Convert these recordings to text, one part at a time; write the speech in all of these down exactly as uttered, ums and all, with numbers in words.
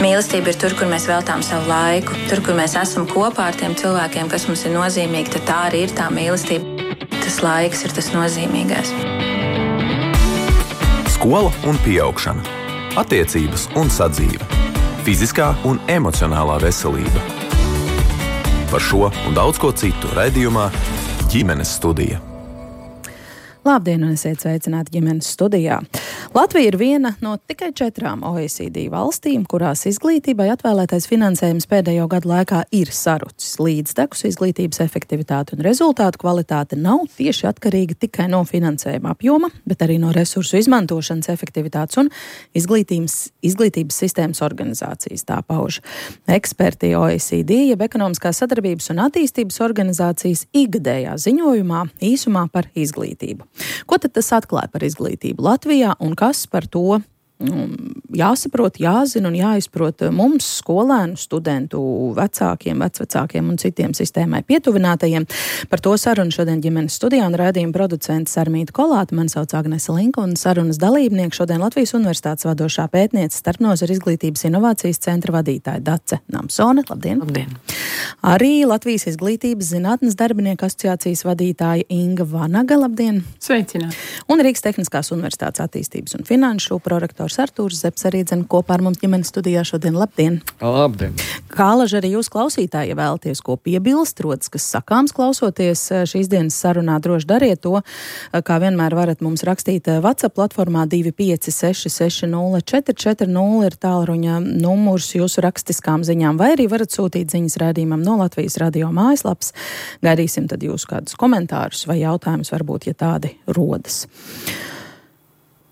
Mīlestība ir tur, kur mēs veltām savu laiku, tur, kur mēs esam kopā ar tiem cilvēkiem, kas mums ir nozīmīgi, tad tā arī ir tā mīlestība. Tas laiks ir tas nozīmīgais. Skola un pieaugšana. Attiecības un sadzīve. Fiziskā un emocionālā veselība. Par šo un daudz ko citu raidījumā Ģimenes studija. Labdien, un esiet sveicināti Ģimenes studijā. Latvija ir viena no tikai četrām O E C D valstīm, kurās izglītībai atvēlētais finansējums pēdējo gadu laikā ir sarucis. Līdztekus izglītības efektivitāte un rezultātu kvalitāte nav tieši atkarīga tikai no finansējuma apjoma, bet arī no resursu izmantošanas efektivitātes un izglītības, izglītības sistēmas organizācijas, tā pauž eksperti O E C D, jeb Ekonomiskās sadarbības un attīstības organizācijas ikgadējā ziņojumā īsumā par izglītību. Ko tad tas atklāja par izglītību Latvijā un kas par to jāsaprot, jāzina un jāizprot mums, skolēnu, studentu, vecākiem, vecvecākiem un citiem sistēmai pietuvinātajiem? Par to sarunu šodien Ģimenes studijā un raidījuma producents Sarmīta Kolāte. Mani sauc Agnese Linka un sarunas dalībnieki šodien Latvijas Universitātes vadošā pētniece, starpnozaru izglītības inovācijas centra vadītāja Dace Namsone. Labdien! Labdien! Arī Latvijas izglītības zinātnes darbinieku asociācijas vadītāja Inga Vanaga. Labdien! Sveicināti! Un Rīgas Tehniskās universitātes attīstības un finanšu prorektors Artūrs Zepes arī dzen kopā ar mums Ģimenes studijā šodien. Labdien! Labdien! Kā laži arī jūs klausītāji, ja vēlaties ko piebilst, rodas, kas sakāms klausoties šīs dienas sarunā, droši dariet to. Kā vienmēr varat mums rakstīt WhatsApp platformā divi pieci seši seši nulle četri četri nulle ir tālruņa numurs jūsu rakstiskām ziņām, vai arī varat sūtīt ziņas raidījumam no Latvijas radio mājaslapas. Gaidīsim tad jūs kādus komentārus vai jautājumus, varbūt, ja tādi rodas.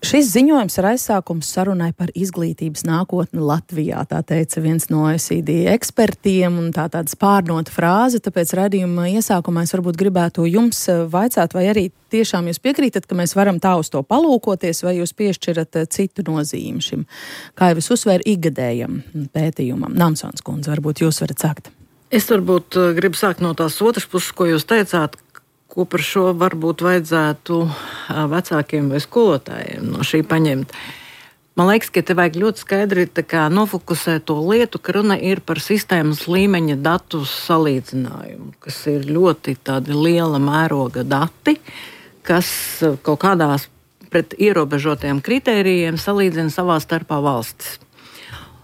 Šis ziņojums ir aizsākums sarunai par izglītības nākotni Latvijā, tā teica viens no O E C D ekspertiem, un tā tāda spārnota frāze, tāpēc raidījuma iesākumā es varbūt gribētu jums vaicāt, vai arī tiešām jūs piekrītat, ka mēs varam tā uz to palūkoties, vai jūs piešķirat citu nozīmi šim, kā jau es uzsvēru, ikgadējam pētījumam. Namsons kundze, varbūt jūs varat sākt. Es varbūt gribu sākt no tās otras puses, ko jūs teicāt, ko par šo varbūt vajadzētu vecākiem vai skolotājiem no šī paņemt. Man liekas, ka te vajag ļoti skaidri tā kā nofokusēt to lietu, ka runa ir par sistēmas līmeņa datu salīdzinājumu, kas ir ļoti tādi liela mēroga dati, kas kaut kādās pret ierobežotiem kritērijiem salīdzina savā starpā valstis.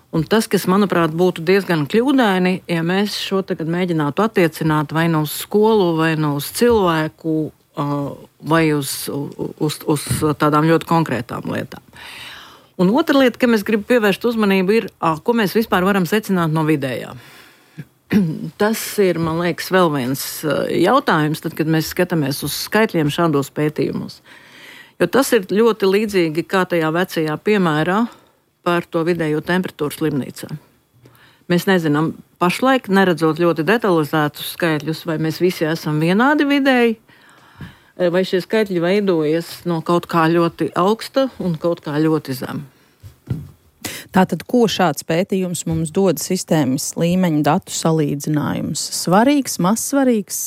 Un tas, kas, manuprāt, būtu diezgan kļūdaini, ja mēs šo tagad mēģinātu attiecināt vai no uz skolu, vai no uz cilvēku, vai uz, uz, uz tādām ļoti konkrētām lietām. Un otra lieta, ka mēs gribam pievērst uzmanību, ir, ko mēs vispār varam secināt no vidējā. Tas ir, man liekas, vēl viens jautājums, tad, kad mēs skatāmies uz skaitļiem šādos pētījumos. Jo tas ir ļoti līdzīgi kā tajā vecajā piemērā par to vidējo temperatūru slimnīcā. Mēs nezinām pašlaik, neredzot ļoti detalizētus skaitļus, vai mēs visi esam vienādi vidēji, vai šie skaitļi veidojas no kaut kā ļoti augsta un kaut kā ļoti zem. Tātad, ko šāds pētījums mums dod sistēmas līmeņa datu salīdzinājums? Svarīgs, mazsvarīgs,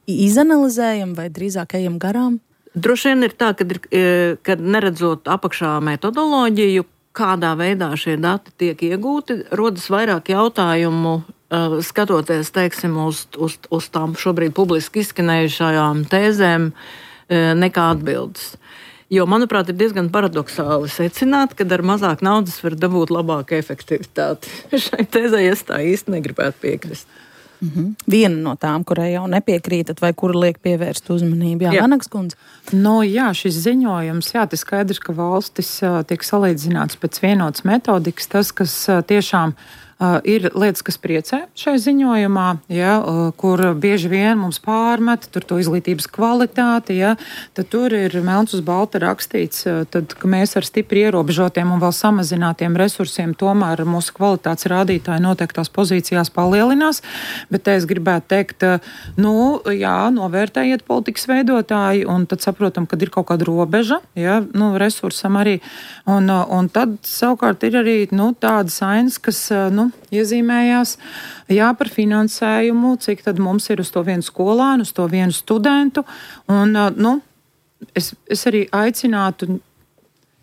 izanalizējam vai drīzāk ejam garām? Droši vien ir tā, kad, ir, kad neredzot apakšā metodoloģiju, kādā veidā šie dati tiek iegūti, rodas vairāk jautājumu, skatoties, teiksim, uz, uz, uz tām šobrīd publiski izskanējušajām tēzēm, nekā atbildes. Jo, manuprāt, ir diezgan paradoxāli secināt, ka ar mazāk naudas var dabūt labāku efektivitāti. Šai tēzē es tā īsti negribētu piekrist. Mm-hmm. Viena no tām, kurai jau nepiekrītat vai kura liek pievērst uzmanību. Jā, jā. Vanagas kundze. No, jā, šis ziņojums, jā, tas skaidrs, ka valstis uh, tiek salīdzināts pēc vienotas metodikas. Tas, kas uh, tiešām uh, ir lietas, kas priecē šai ziņojumā, ja, uh, kur bieži vien mums pārmet tur to izglītības kvalitāti, ja, tad tur ir melns uz balta rakstīts, uh, tad, ka mēs ar stipri ierobežotiem un vēl samazinātiem resursiem tomēr mūsu kvalitātes rādītāji noteiktās pozīcijās palielinās. Bet es gribētu teikt, nu, jā, novērtējiet politikas veidotāji, un tad saprotam, kad ir kaut kāda robeža, jā, nu, resursam arī. Un, un tad savukārt ir arī, nu, tādas ainas, kas, nu, iezīmējās, jā, par finansējumu, cik tad mums ir uz to vienu skolānu, uz to vienu studentu. Un, nu, es, es arī aicinātu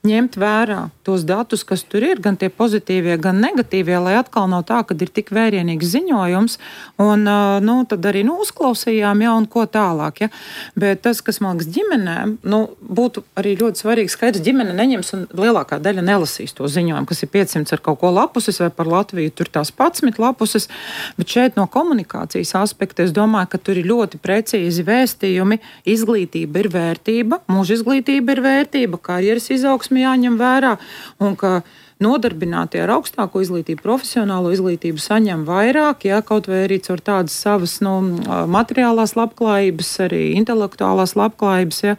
ņemt vērā tos datus, kas tur ir, gan tie pozitīvie, gan negatīvie, lai atkal nav tā, ka ir tik vērienīgs ziņojums, un nu, tad arī nu, uzklausījām, ja, un ko tālāk. Ja. Bet tas, kas man liekas ģimenēm, nu, būtu arī ļoti svarīgi skaidrs, ģimene neņems un lielākā daļa nelasīs to ziņojumu, kas ir piecsimt ar kaut ko lapuses, vai par Latviju tur tās padsmit lapuses, bet šeit no komunikācijas aspekta es domāju, ka tur ir ļoti precīzi vēstījumi, izglītība ir vērtība, mūža izglītība ir vērtība, karjeras izaugsme jāņem vērā, un ka nodarbinātie ar augstāko izglītību, profesionālo izglītību saņem vairāk, ja, kaut vai arī caur tādas savas nu, materiālās labklājības, arī intelektuālās labklājības, ja,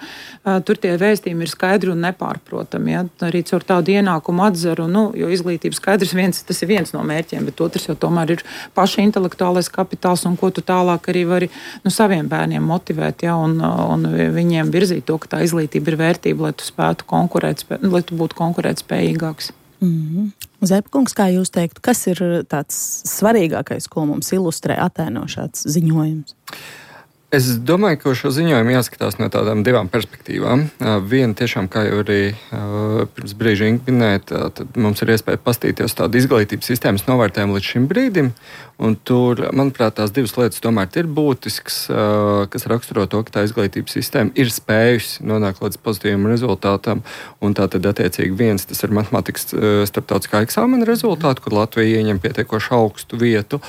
tur tie vēstījumi ir skaidri un nepārprotami, ja, arī caur tādu ienākumu atzaru, nu, jo izglītība skaidrs, viens, tas ir viens no mērķiem, bet otrs jau tomēr ir paša intelektuālais kapitāls, un ko tu tālāk arī vari nu, saviem bērniem motivēt, ja, un, un viņiem virzīt to, ka tā izglītība ir vērtība, lai tu spētu konkurēt, lai tu būtu konkurētspējīgāks. Mm-hmm. Zepkungs, kā jūs teiktu, kas ir tāds svarīgākais, ko mums ilustrē, attēno šāds ziņojums? Es domāju, ka šo ziņojumu jāskatās no tādām divām perspektīvām. Viena tiešām, kā jau arī pirms brīža Inga minēja, tad mums ir iespēja pastīties tādu izglītības sistēmas novērtējumu līdz šim brīdim. Un tur, manuprāt, tās divas lietas tomēr ir būtiskas, kas raksturo to, ka tā izglītības sistēma ir spējusi nonākt līdz pozitīvam rezultātam. Un tā tad attiecīgi viens, tas ir matemātikas starptautiskā eksāmena rezultāti, kur Latvija ieņem pietiekoši augstu vietu.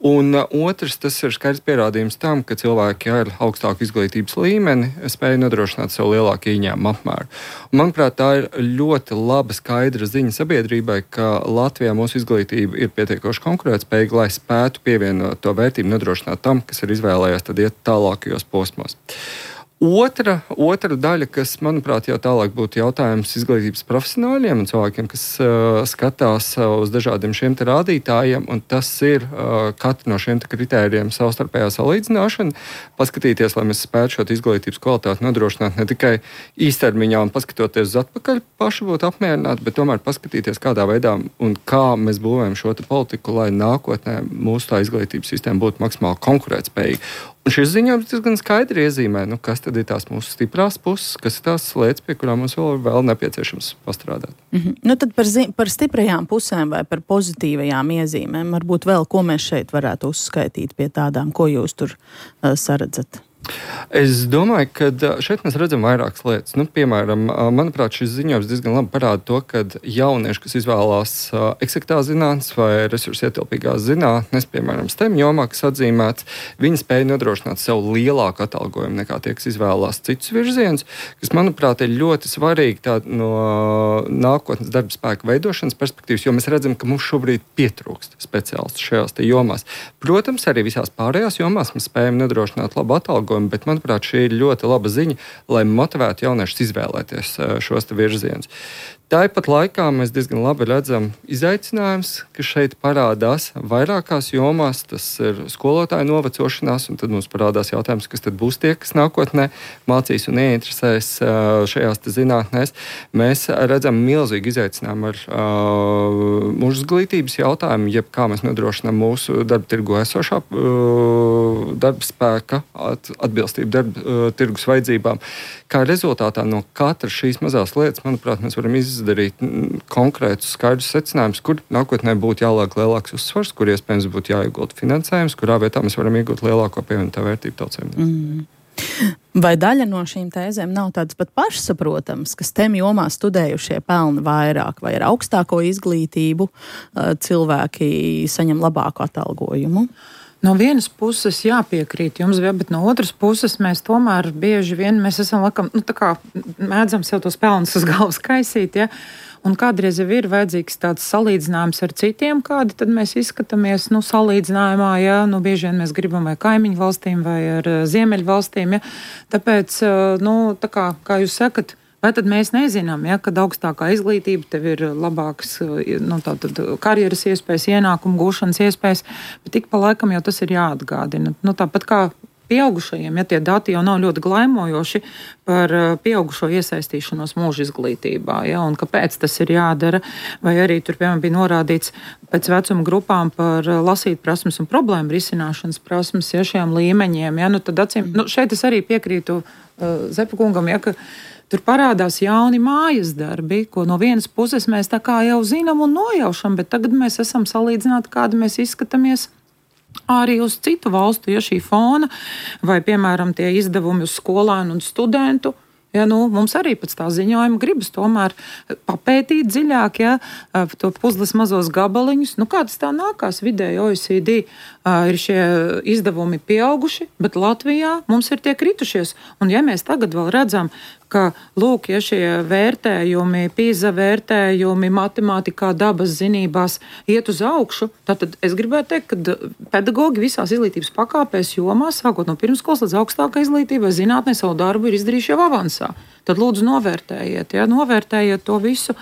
Un otrs, tas ir skaidrs pierādījums tam, ka cilvēki ar augstāku izglītības līmeni spēja nodrošināt sev lielāku ieņēmumu apmēru. Un, manuprāt, tā ir ļoti laba skaidra ziņa sabiedrībai, ka Latvijā mūsu izglītība ir pietiekoši konkurētspējīga, lai spētu pievienot to vērtību, nodrošināt tam, kas ir izvēlējies tad iet tālākajos posmos. Otra, otra daļa, kas, manuprāt, jau tālāk būtu jautājums izglītības profesionāļiem un cilvēkiem, kas uh, skatās uh, uz dažādiem šiem te rādītājiem, un tas ir uh, katru no šiem te kritērijiem savstarpējā salīdzināšana, paskatīties, lai mēs spētu šo izglītības kvalitāti nodrošināt ne tikai īstermiņā un paskatoties uz atpakaļ paši būtu apmierināti, bet tomēr paskatīties, kādā veidā un kā mēs būvējam šo te politiku, lai nākotnē mūsu tā izglītības sistēma būtu maksimāli konkurētspējīga. Un šis ziņojums diezgan skaidri iezīmē, nu, kas tad ir tās mūsu stiprās puses, kas ir tās lietas, pie kurām mums vēl, vēl nepieciešams pastrādāt. Mm-hmm. Nu, tad par, zi- par stiprajām pusēm vai par pozitīvajām iezīmēm, varbūt vēl, ko mēs šeit varētu uzskaitīt pie tādām, ko jūs tur uh, saredzat? Es domāju, ka šeit mēs redzam vairākas lietas. Nu, piemēram, manuprāt, šis ziņojums diezgan labi parāda to, ka jaunieši, kas izvēlās eksaktās zinātnes vai resursu ietilpīgās zinātnes, piemēram, STEM jomā, kas atzīmēts, viņi spēja nodrošināt sev lielāku atalgojumu nekā tie, kas izvēlās citus virzienus, kas, manuprāt, ir ļoti svarīgi tā, no nākotnes darba spēka veidošanas perspektīvas, jo mēs redzam, ka mums šobrīd pietrūkst speciālistu šajās te jomās. Protams, arī visās pārējās jomās mēs spējam nodrošināt labu atalgojumu, bet, manuprāt, šī ir ļoti laba ziņa, lai motivētu jauniešus izvēlēties šos te virzienus. Tāpat laikā mēs diezgan labi redzam izaicinājums, kas šeit parādās vairākās jomās. Tas ir skolotāju novecošanās, un tad mums parādās jautājums, kas tad būs tie, kas nākotnē mācīs un ieinteresēs šajās te zinātnēs. Mēs redzam milzīgu izaicinājumu ar uh, mūža izglītības jautājumu, jeb kā mēs nodrošinām mūsu darba tirgu esošā uh, darba spēka at, atbilstību darba uh, tirgus vajadzībām. Kā rezultātā no katras šīs mazās lietas, manuprāt, mēs varam izdarīt darīt konkrētus skaidrus secinājumus, kur nākotnē būtu jāliek lielāks uzsvars, kur iespējams būtu jāiegulda finansējums, kurā vietā mēs varam iegūt lielāko pievienotā vērtību tautsēmniecībai. Mm. Vai daļa no šīm tēzēm nav tādas pat pašsaprotamas, ka STEM jomā studējušie pelna vairāk vai ar augstāko izglītību cilvēki saņem labāku atalgojumu? No vienas puses jāpiekrīt jums, bet no otras puses mēs tomēr bieži vien mēs esam laikam, nu, tā kā mēdzam sev tos pelnus uz galvas kaisīt, ja? Un kādreiz jau ir vajadzīgs tāds salīdzinājums ar citiem, kādi tad mēs izskatāmies, nu, salīdzinājumā, ja? Nu, bieži vien mēs gribam vai kaimiņu valstīm vai ar ziemeļu valstīm, ja? Tāpēc, nu, tā kā, kā jūs sakat, vai tad mēs nezinām, ja, kad augstākā izglītība tev ir labāks nu, tātad, karjeras iespējas, ienākumu gūšanas iespējas, bet tik pa laikam jau tas ir jāatgādina. Nu, tāpat kā pieaugušajiem, ja tie dati jau nav ļoti glaimojoši par pieaugušo iesaistīšanos mūža izglītībā, ja, un kāpēc tas ir jādara, vai arī tur, piemēram, bija norādīts pēc vecuma grupām par lasīt prasmes un problēmu risināšanas prasmes, ja, šiem līmeņiem, ja, nu tad acīm, nu, šeit es arī piekrītu uh, Zepa kungam, ja, ka tur parādās jauni mājas darbi, ko no vienas puses mēs tā kā jau zinām un nojaušam, bet tagad mēs esam salīdzināti, kādi mēs izskatāmies arī uz citu valstu, ja šī fona, vai, piemēram, tie izdevumi uz skolēnu un studentu. Ja, nu, mums arī pēc tā ziņojuma gribas tomēr papētīt dziļāk, ja, to puzles mazos gabaliņus. Nu, kā tas tā nākās vidēji O E C D? Ir šie izdevumi pieauguši, bet Latvijā mums ir tie kritušies. Un ja mēs tagad vēl redzam, ka, lūk, ja šie vērtējumi, PISA vērtējumi, matemātikā, dabas zinībās iet uz augšu, tad es gribētu teikt, ka pedagogi visās izglītības pakāpēs jomās, sākot no pirmskolas līdz augstākai izglītībai, zinātnē savu darbu ir izdarījuši jau avansā. Tad lūdzu novērtējiet, ja, novērtējiet to visu.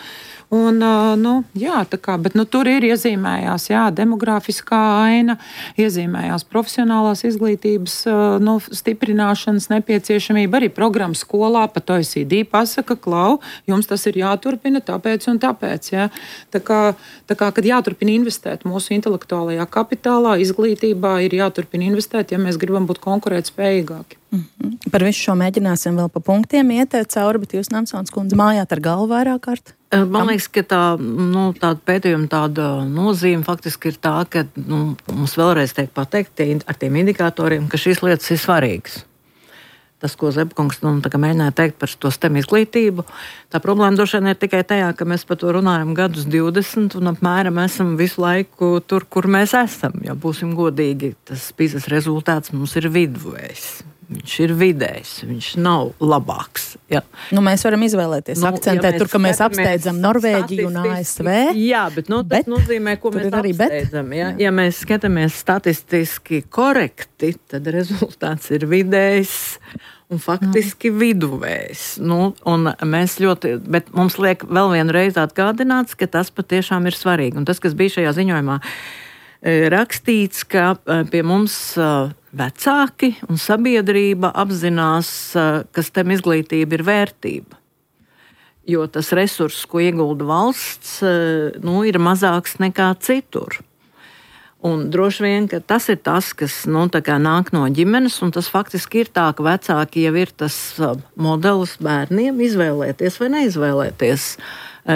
Un, nu, jā, tā kā, bet nu, tur ir iezīmējās jā, demografiskā aina, iezīmējās profesionālās izglītības nu, stiprināšanas nepieciešamība. Arī programma skolā pat O E C D pasaka, klau, jums tas ir jāturpina tāpēc un tāpēc. Jā. Tā kā, tā kā, kad jāturpina investēt mūsu intelektuālajā kapitālā, izglītībā, ir jāturpina investēt, ja mēs gribam būt konkurētspējīgāki. Mm-hmm. Par visu šo mēģināsim vēl pa punktiem iet cauri, bet jūs, Namsons kundze, mājāt ar galvu vairāk kārt? Man liekas, ka tā, nu, tāda pētījuma tāda nozīme faktiski ir tā, ka nu, mums vēlreiz tiek pateikt ar tiem indikatoriem, ka šīs lietas ir svarīgas. Tas, ko Zepkungs nu, mēģināja teikt par to STEM izglītību, tā problēma droši vien ir tikai tajā, ka mēs par to runājam gadus divdesmit un apmēram esam visu laiku tur, kur mēs esam. Ja būsim godīgi, tas PISA rezultāts mums ir viduvējs. Viņš ir vidējs, viņš nav labāks. Ja. Nu, mēs varam izvēlēties, nu, akcentēt ja tur, ka mēs apsteidzam Norvēģiju un A S V. Jā, bet nu, tas bet nozīmē, ko mēs apsteidzam. Ja. Ja mēs skatāmies statistiski korekti, tad rezultāts ir vidējs un faktiski mm. viduvējs. Nu, un mēs ļoti, bet mums liek vēl vienreiz atgādināts, ka tas patiešām ir svarīgi. Un tas, kas bija šajā ziņojumā rakstīts, ka pie mums vecāki un sabiedrība apzinās, ka STEM izglītība ir vērtība. Jo tas resurss, ko iegulda valsts, nu, ir mazāks nekā citur. Un droši vien, ka tas ir tas, kas nu, tā kā nāk no ģimenes, un tas faktiski ir tā, ka vecāki jau ir tas modelis bērniem izvēlēties vai neizvēlēties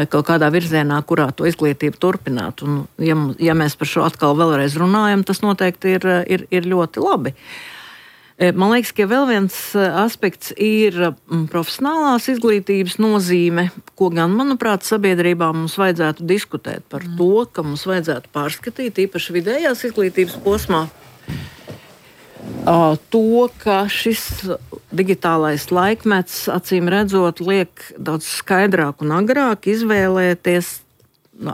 kaut kādā virzienā, kurā to izglītību turpināt. Un, ja, ja mēs par šo atkal vēlreiz runājam, tas noteikti ir, ir, ir ļoti labi. Man liekas, ka vēl viens aspekts ir profesionālās izglītības nozīme, ko gan, manuprāt, sabiedrībā mums vajadzētu diskutēt par to, ka mums vajadzētu pārskatīt, īpaši vidējās izglītības posmā, to, ka šis digitālais laikmets, acīm redzot, liek daudz skaidrāk un agrāk izvēlēties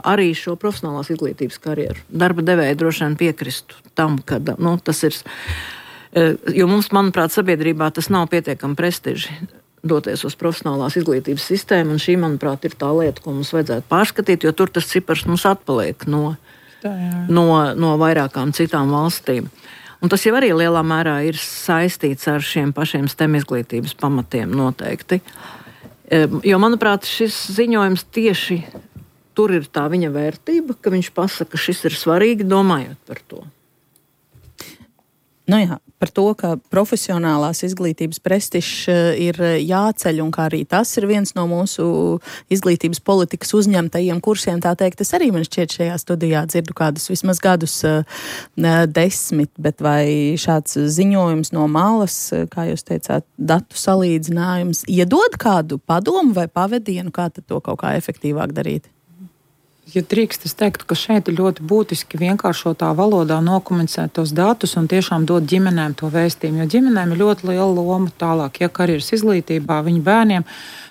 arī šo profesionālās izglītības karjeru. Darba devēji droši vien piekristu tam, ka nu, tas ir, jo mums, manuprāt, sabiedrībā tas nav pietiekami prestiži doties uz profesionālās izglītības sistēmu, un šī, manuprāt, ir tā lieta, ko mums vajadzētu pārskatīt, jo tur tas cipars mums atpaliek no, tā, no, no vairākām citām valstīm. Un tas jau arī lielā mērā ir saistīts ar šiem pašiem STEM izglītības pamatiem noteikti. Jo, manuprāt, šis ziņojums tieši tur ir tā viņa vērtība, ka viņš pasaka, ka šis ir svarīgi, domājot par to. Nu jā, par to, ka profesionālās izglītības prestižs ir jāceļ un kā arī tas ir viens no mūsu izglītības politikas uzņemtajiem kursiem, tā teikt, es arī man šķiet šajā studijā dzirdu kādus vismaz gadus desmit, bet vai šāds ziņojums no malas, kā jūs teicāt, datu salīdzinājums, iedod kādu padomu vai pavedienu, kā tad to kaut kā efektīvāk darīt? Ja drīkst, es teiktu, ka šeit ir ļoti būtiski vienkāršotā valodā nokomunicēt tos datus un tiešām dot ģimenēm to vēstījumu, jo ģimenēm ir ļoti liela loma tālāk, ja karjeras izglītībā viņu bērniem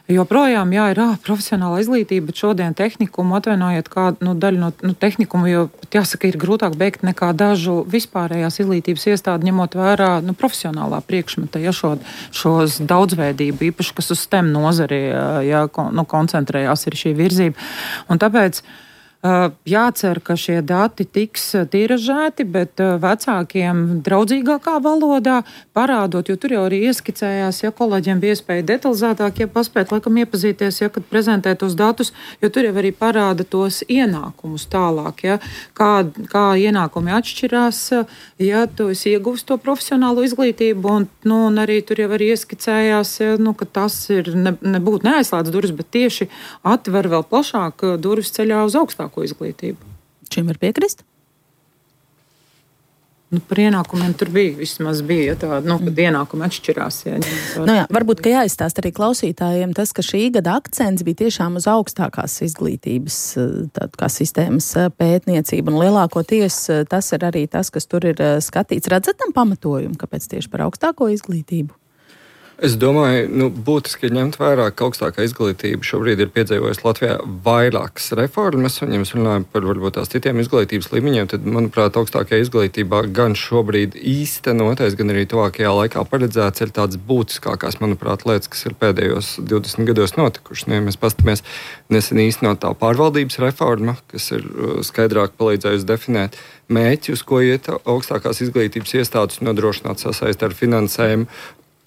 joprojām jā, ir ā, profesionāla izglītība, bet šodien tehnikumu atvainojiet kādu nu, daļu no nu, tehnikumu, jo jāsaka, ir grūtāk beigt nekā dažu vispārējās izglītības iestādi, ņemot vērā nu, profesionālā priekšmeta, ja šo, šos daudzveidību, īpaši, kas uz STEM nozari jā, nu, koncentrējās, ir šī virzība. Un tāpēc Jācer, ka šie dati tiks tiražēti, bet vecākiem draudzīgākā valodā parādot, jo tur jau arī ieskicējās, ja kolēģiem bija iespēja detalizētāk, ja paspēt laikam iepazīties, ja kad prezentē tos datus, jo tur jau arī parāda tos ienākumus tālāk, ja, kā, kā ienākumi atšķirās, ja tu esi ieguvis to profesionālo izglītību, un, nu, un arī tur jau arī ieskicējās, ja, nu, ka tas ir ne, nebūtu neaizslēdz durvis, bet tieši atver vēl plašāk durvis ceļā uz augstāko izglītību. Šim var piekrist? Nu, par ienākumiem tur bija, vismaz bija, ja tā, nu, kad ienākumi atšķirās. Ja, nu jā, varbūt, ka jāizstāst arī klausītājiem tas, ka šī gada akcents bija tiešām uz augstākās izglītības tād, kā sistēmas pētniecību, un lielākoties tas ir arī tas, kas tur ir skatīts. Redzat tam pamatojumu, kāpēc tieši par augstāko izglītību? Es domāju, nu, būtiski ir ņemt vērā, ka augstākā izglītība šobrīd ir piedzīvojusi Latvijā vairākas reformas, un ja mēs runājam par varbūt tās citiem izglītības līmeņiem, tad, manuprāt, augstākajā izglītībā gan šobrīd īstenotais, gan arī tuvākajā laikā paredzēts ir tāds būtiskākās, manuprāt, lietas, kas ir pēdējos divdesmit gados notikušas. Nu, ja mēs pastamies nesen īstenotā pārvaldības reforma, kas ir skaidrāk palīdzējusi definēt mērķi, uz ko iet augstākās izglītības iestādes nodrošināt sasaist ar finansējumu.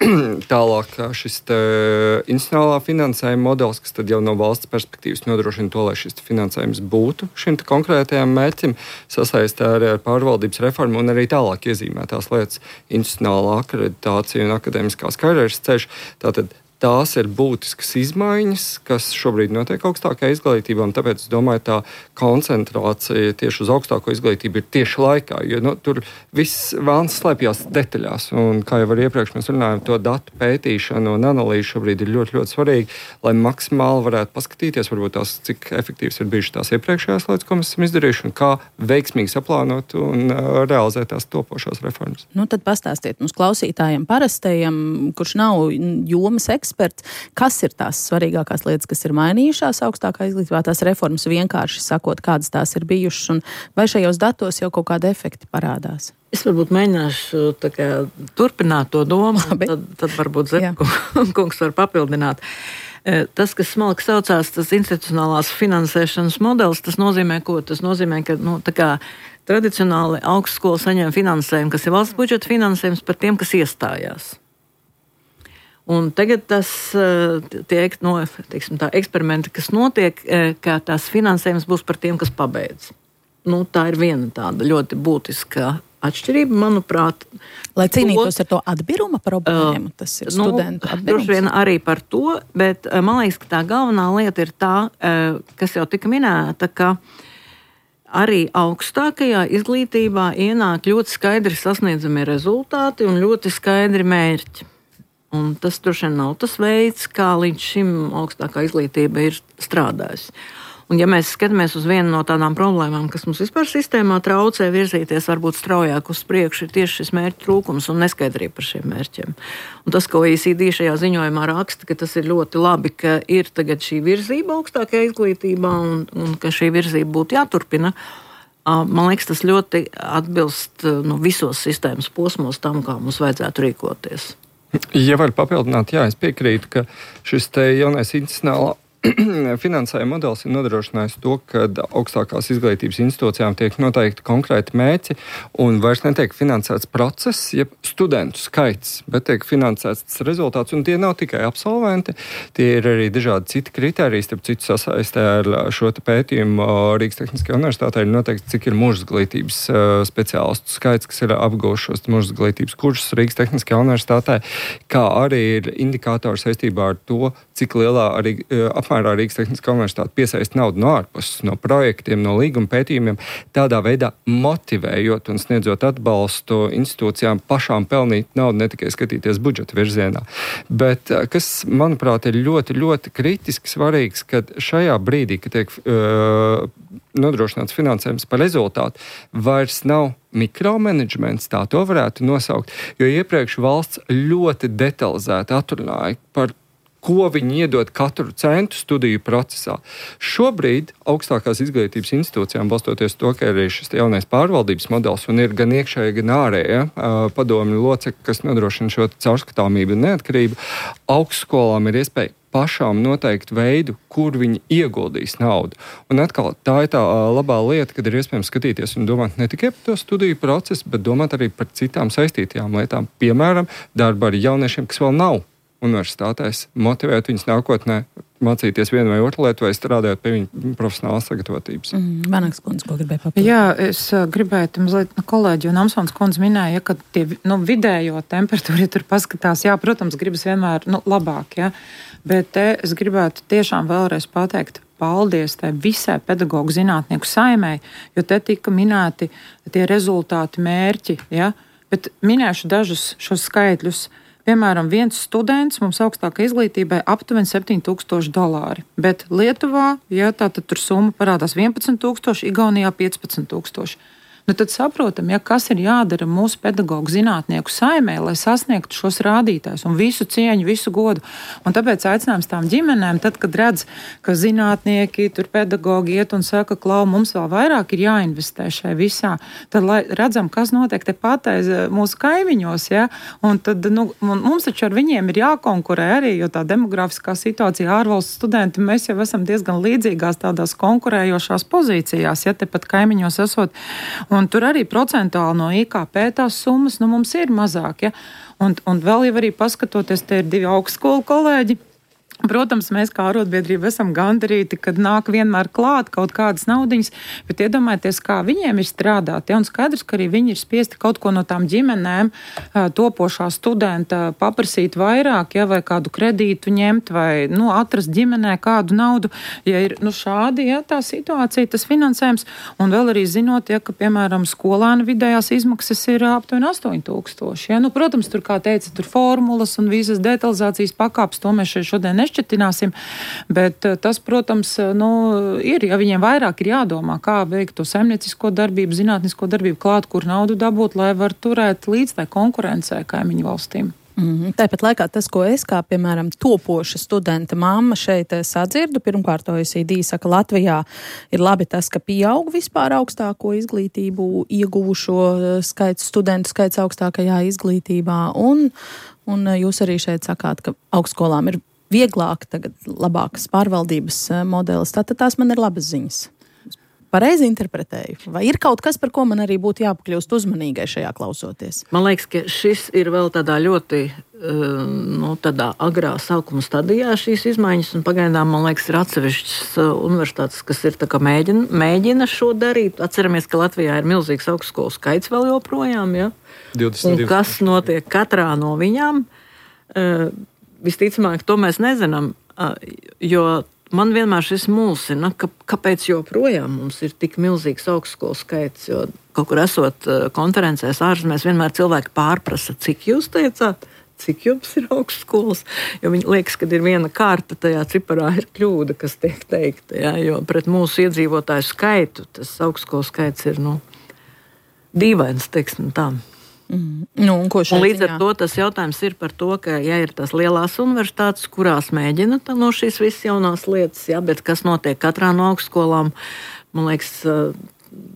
Tālāk šis institucionālā finansējuma modelis, kas tad jau no valsts perspektīvas nodrošina to, lai šis finansējums būtu šim konkrētajam mērķim, sasaistē arī ar pārvaldības reformu un arī tālāk iezīmētās lietas institucionālā akreditācija un akadēmiskās karjeras ceļš. Tātad tās ir būtiskas izmaiņas, kas šobrīd notiek augstākajā izglītībā, un tāpēc es domāju, tā koncentrācija tieši uz augstāko izglītību ir tieši laikā, jo nu, tur viss vēlns slēpjas detaļās, un kā jau arī iepriekš mēs runājam, to datu pētīšanu un analīzi šobrīd ir ļoti, ļoti svarīgi, lai maksimāli varētu paskatīties, varbūt tās, cik efektīvas ir bijušas tās iepriekšējās lietas, ko mēs esam izdarījuši, un kā veiksmīgi saplānot un uh, realizēt tās topošās reformas. Nu, tad pastāstiet mums klausītājiem parastajiem, kurš nav jomas eksperts, Eksperts, kas ir tās svarīgākās lietas, kas ir mainījušās augstākā izglītībā, tās reformas vienkārši sakot, kādas tās ir bijušas, un vai šajos datos jau kaut kādi efekti parādās? Es varbūt mēģināšu tā kā, turpināt to domu, tad, tad varbūt Zepkungs var papildināt. Tas, kas smalki saucās, tas institucionālās finansēšanas modelis, tas nozīmē ko? Tas nozīmē, ka nu, tā kā tradicionāli augstskola saņem finansējumu, kas ir valsts budžeta finansējums par tiem, kas iestājās. Un tagad tas tiek, no, teiksim, tā eksperimenti, kas notiek, ka tās finansējums būs par tiem, kas pabeidz. Nu, tā ir viena tāda ļoti būtiska atšķirība, manuprāt. Lai cīnītos ar to atbiruma problēmu, tas ir nu, studentu atbirums. Droši vien arī par to, bet man liekas, ka tā galvenā lieta ir tā, kas jau tika minēta, ka arī augstākajā izglītībā ienāk ļoti skaidri sasniedzamie rezultāti un ļoti skaidri mērķi. Un tas droši vien nav tas veids, kā līdz šim augstākā izglītība ir strādājusi. Un ja mēs skatāmies uz vienu no tādām problēmām, kas mums vispār sistēmā traucē virzīties varbūt straujāk uz priekšu, ir tieši šis mērķu trūkums un neskaidrība par šiem mērķiem. Un tas, ko O E C D šajā ziņojumā raksta, ka tas ir ļoti labi, ka ir tagad šī virzība augstākajā izglītībā un, un ka šī virzība būtu jāturpina. Man liekas, tas ļoti atbilst nu, visos sistēmas posmos tam, kā mums vajadzētu rīkoties. Ja var papildināt, jā, es piekrītu, ka šis te jaunais institucionālā finansējuma modelis ir nodrošinājis to, ka augstākās izglītības institūcijām tiek noteikti konkrēti mērķi un vairs netiek finansēts process, jeb studentu skaits, bet tiek finansēts rezultāts, un tie nav tikai absolventi, tie ir arī dažādi citi kriteriji, starp citu sasaistē ar šo te pētījumu Rīgas Tehniskajā universitātē ir noteikti, cik ir mūžizglītības speciālistu skaits, kas ir apguvušos mūžizglītības kursus Rīgas Tehniskajā universitātē, kā arī ir indikātori saistībā ar to, cik lielā arī apmērā Rīgas Tehniskā universitāte piesaista naudu no ārpuses, no projektiem, no līguma pētījumiem, tādā veidā motivējot un sniedzot atbalstu institūcijām pašām pelnīt naudu, ne tikai skatīties budžeta virzienā. Bet kas, manuprāt, ir ļoti, ļoti kritiski svarīgs, kad šajā brīdī, kad tiek uh, nodrošināts finansējums par rezultātu, vairs nav mikromanagements, tā to varētu nosaukt, jo iepriekš valsts ļoti detalizēti atrunāja par ko viņi iedod katru centu studiju procesā. Šobrīd augstākās izglītības institūcijām, balstoties to, ka ir šis jaunais pārvaldības modelis un ir gan iekšēja, gan ārēja padomju locekļi, kas nodrošina šo caurskatāmību un neatkarību, augstskolām ir iespēja pašām noteikt veidu, kur viņi ieguldīs naudu. Un atkal tā ir tā labā lieta, kad ir iespējams skatīties un domāt ne tikai par to studiju procesu, bet domāt arī par citām saistītajām lietām. Piemēram, darba ar jauniešiem, kas vēl nav universitātēs, motivēt viņus nākotnē mācīties vienu vai otru lietu vai strādāt pie viņa profesionālās sagatavotības. Mm, Vanaks kundze, ko gribēja papildināt? Jā, es gribētu mazliet, nu, kolēģi un Amsons kundze minēja, ja, ka tie, nu, vidējo temperatūru, ja tur paskatās, jā, protams, gribas vienmēr, nu, labāk, ja, bet te es gribētu tiešām vēlreiz pateikt, paldies tai visai pedagoģu zinātnieku saimei, jo te tika minēti tie rezultāti, mērķi, ja, bet minēšu dažus šos skaitļus. Piemēram, viens students mums augstākai izglītībai aptuveni septiņi tūkstoši dolāri, bet Lietuvā, ja tā tad tur summa parādās vienpadsmit tūkstoši, Igaunijā piecpadsmit tūkstoši. Nu, tad saprotam, ja, kas ir jādara mūsu pedagoģu zinātnieku saimē, lai sasniegtu šos rādītājus un visu cieņu, visu godu. Un tāpēc aicinājums tām ģimenēm, tad, kad redz, ka zinātnieki, tur pedagoģi iet un saka, klau, mums vēl vairāk ir jāinvestē šai visā, tad lai redzam, kas notiek te pateiz mūsu kaimiņos, ja, un tad, nu, mums taču ar viņiem ir jākonkurē arī, jo tā demografiskā situācija ārvalstu studenti, mēs jau esam diezgan līdzīgās tādās konkurējošās pozīcijās, ja tepat kaimiņos esot. Un tur arī procentuāli no I K P tās summas, nu, mums ir mazāk, ja? Un, un vēl jau arī paskatoties, te ir divi augstskolu kolēģi. Protams, mēs kā arotbiedrība esam gandarīti, kad nāk vienmēr klāt kaut kādas naudiņas, bet iedomājieties, kā viņiem ir strādāt. Ja? Un skaidrs, ka arī viņi ir spiesti kaut ko no tām ģimenēm, topošā studenta paprasīt vairāk, ja? Vai kādu kredītu ņemt, vai nu, atrast ģimenē kādu naudu. Ja ir nu, šādi, ja, tā situācija, tas finansējums, un vēl arī zinot, ja, ka, piemēram, skolēnu vidējās izmaksas ir aptuveni astoņi tūkstoši. Ja? Nu, protams, tur, kā teica, tur formulas un visas detalizācijas pakāpes, to mēs šeit šodien nešķirsim. Šķetināsim, bet tas, protams, nu, ir, ja viņiem vairāk ir jādomā, kā veikt to saimniecisko darbību, zinātnisko darbību klāt, kur naudu dabūt, lai var turēt līdz tai konkurencē kaimiņu valstīm. Mm, tāpat laikā tas, ko es kā, piemēram, topoša studenta mamma šeit sadzirdu, pirmkārt O E C D saka, Latvijā ir labi tas, ka pieaug vispār augstāko izglītību ieguvušo skaits, studentu skaits augstākajā izglītībā, un, un jūs arī šeit sakāt, ka augstskolām ir vieglāk, tagad labākas pārvaldības modelis, tātad tās man ir labas ziņas. Pareizi interpretēju. Vai ir kaut kas, par ko man arī būtu jāpakļūst uzmanīgai šajā klausoties? Man liekas, ka šis ir vēl tādā ļoti nu, tādā agrā sākuma stadijā šīs izmaiņas, un pagaidām, man liekas, ir atsevišķas universitātes, kas ir tā kā mēģina, mēģina šo darīt. Atceramies, ka Latvijā ir milzīgs augstskolu skaits vēl joprojām, ja? divdesmit divi. Un kas notiek katrā no viņām? Visticamāk, to mēs nezinām, jo man vienmēr šis mulsina, ka, kāpēc joprojām mums ir tik milzīgs augstskolu skaits, jo kaut kur esot konferencēs ārzemēs, vienmēr cilvēki pārprasa, cik jūs teicāt, cik jums ir augstskolas, jo viņi liekas, ka ir viena kārta, tajā ciparā ir kļūda, kas tiek teikta, ja, jo pret mūsu iedzīvotāju skaitu tas augstskolu skaits ir, nu, dīvains, teiksim tā. Mm. Nu, un ko šeit, un līdz ar jā. to tas jautājums ir par to, ka, ja ir tās lielās universitātes, kurās mēģina no šīs visas jaunās lietas, jā, bet kas notiek katrā no augstskolām, man liekas,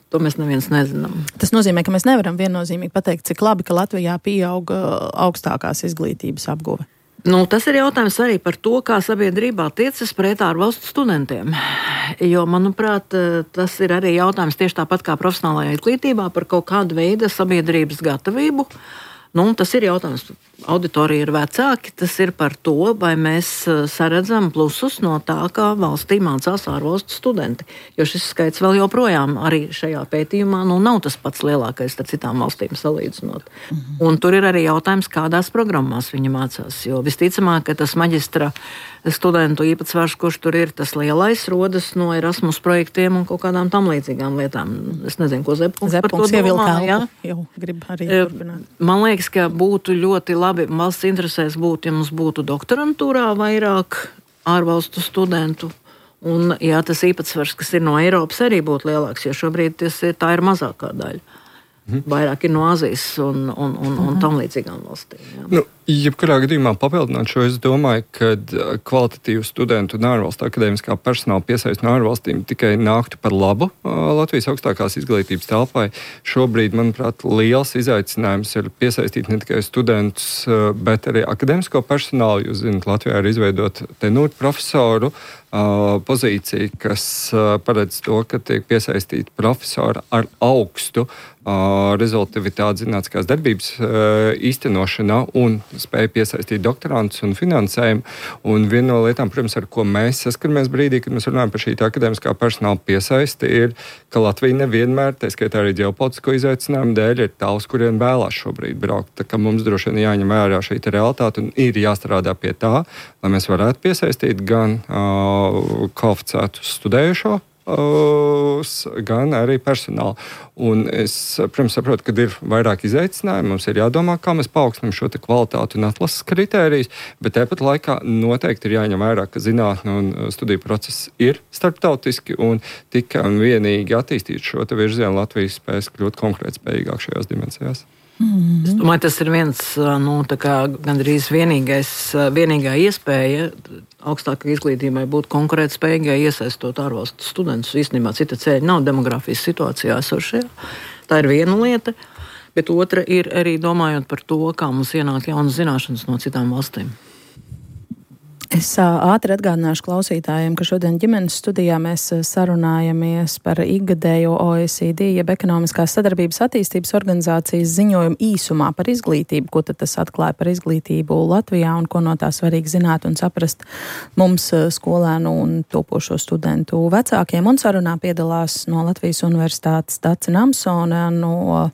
to mēs neviens nezinām. Tas nozīmē, ka mēs nevaram viennozīmīgi pateikt, cik labi, ka Latvijā pieauga augstākās izglītības apguve. Nu, tas ir jautājums arī par to, kā sabiedrībā tiecas pret ārvalstu studentiem. Jo, manuprāt, tas ir arī jautājums tieši tāpat kā profesionālajā izglītībā par kaut kādu veidu sabiedrības gatavību. Nu, tas ir jautājums. Auditorija ir vecāki, tas ir par to, vai mēs saredzam plusus no tā, kā valstī mācās ārvalstu studenti. Jo šis skaits vēl joprojām arī šajā pētījumā nu, nav tas pats lielākais ar citām valstīm salīdzinot. Mhm. Un tur ir arī jautājums, kādās programmās viņi mācās. Jo visticamāk, ka tas maģistra studentu īpatsvars, kurš tur ir, tas lielais rodas no Erasmus projektiem un kaut kādām tam līdzīgām lietām. Es nezinu, ko Zepkungs par to domā. Ja? Jau grib arī turpināt. Man liekas, ka būtu ļoti labi, valsts interesēs būtu, ja mums būtu doktorantūrā vairāk ārvalstu studentu. Un, jā, tas īpatsvars, kas ir no Eiropas, arī būtu lielāks, jo šobrīd tas ir, tā ir mazākā daļa. Mhm. Vairāk ir no Āzijas un, un, un, un tam līdzīgām valstīm. Jā. Nu, Jebkurā gadījumā papildināt šo, es domāju, ka kvalitatīvu studentu un ārvalstu akadēmiskā personāla piesaist no ārvalstīm tikai nāktu par labu Latvijas augstākās izglītības telpai. Šobrīd, manuprāt, liels izaicinājums ir piesaistīt ne tikai studentus, bet arī akadēmisko personālu. Jūs zināt, Latvijā ir izveidot tenūru profesoru pozīcija, kas paredz to, ka tiek piesaistīti profesori ar augstu rezultatīvitāti zinātniskās darbības īstenošanā un spēja piesaistīt doktorantus un finansējumu. Un viena no lietām, protams, ar ko mēs saskaramies brīdī, kad mēs runājam par šī akadēmiskā personāla piesaisti, ir, ka Latvija nevienmēr, tā skaitā arī ģeopolitisko izaicinājumu dēļ, ir tā, uz kuriem vēlās šobrīd braukt. Tā kā mums droši vien jāņem vērā šī realitāte un ir jāstrādā pie tā, lai mēs varētu piesaistīt gan uh, kvalificētu studējušo, gan arī personālu. Un es, protams, saprotu, ka ir vairāk izaicinājumu. Mums ir jādomā, kā mēs paaugstinām šo kvalitāti un atlases kritērijus, bet tāpat laikā noteikti ir jāņem vērā, ka zinātne un studiju process ir starptautiski un tikai un vienīgi attīstīt šo virzienu Latvijas spējas kļūt konkurētspējīgāk šajās dimensijās. Mm-hmm. Es domāju, tas ir viens, nu, tā kā gandrīz vienīgais, vienīgā iespēja augstākai izglītībai būt konkurētspējīgai, iesaistot ārvalstu studentus. Īstenībā cita ceļa nav demografijas situācijā esošajā. Tā ir viena lieta, bet otra ir arī domājot par to, kā mums ienāk jaunas zināšanas no citām valstīm. Es ātri atgādināšu klausītājiem, ka šodien ģimenes studijā mēs sarunājamies par ikgadējo O E C D, jeb Ekonomiskās sadarbības attīstības organizācijas ziņojumu īsumā par izglītību, ko tad tas atklāja par izglītību Latvijā un ko no tā svarīgi zināt un saprast mums skolēnu un topošo studentu vecākiem. Un sarunā piedalās no Latvijas Universitātes Dace Namsone, no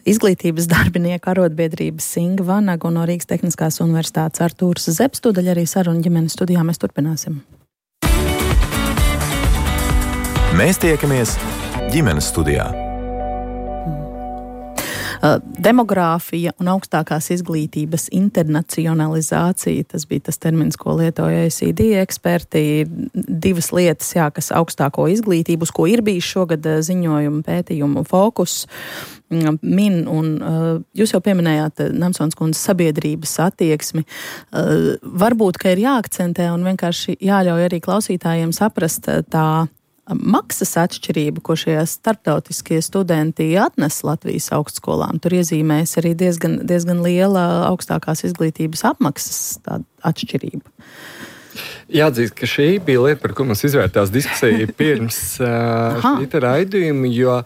izglītības darbinieku arotbiedrības Inga Vanaga un no Rīgas Tehniskās Universitātes Artūrs Zepes. Tūdaļ arī saruna ģimenes studijā mēs turpināsim. Mēs tiekamies ģimenes studijā. Demogrāfija un augstākās izglītības internacionalizācija, tas bija tas termins, ko lietoja O E C D eksperti, divas lietas, jā, kas augstāko izglītību, uz ko ir bijis šogad ziņojumu pētījumu fokus, min, un jūs jau pieminējāt Namsonas kundzes sabiedrības attieksmi. Varbūt, ka ir jāakcentē un vienkārši jāļauj arī klausītājiem saprast tā maksas atšķirība, ko šie starptautiskie studenti atnes Latvijas augstskolām. Tur iezīmēs arī diezgan, diezgan liela augstākās izglītības apmaksas tāda atšķirība. Jāatzīst, ka šī bija lieta, par ko mums izvērtās diskusija pirms uh, šī raidījuma, jo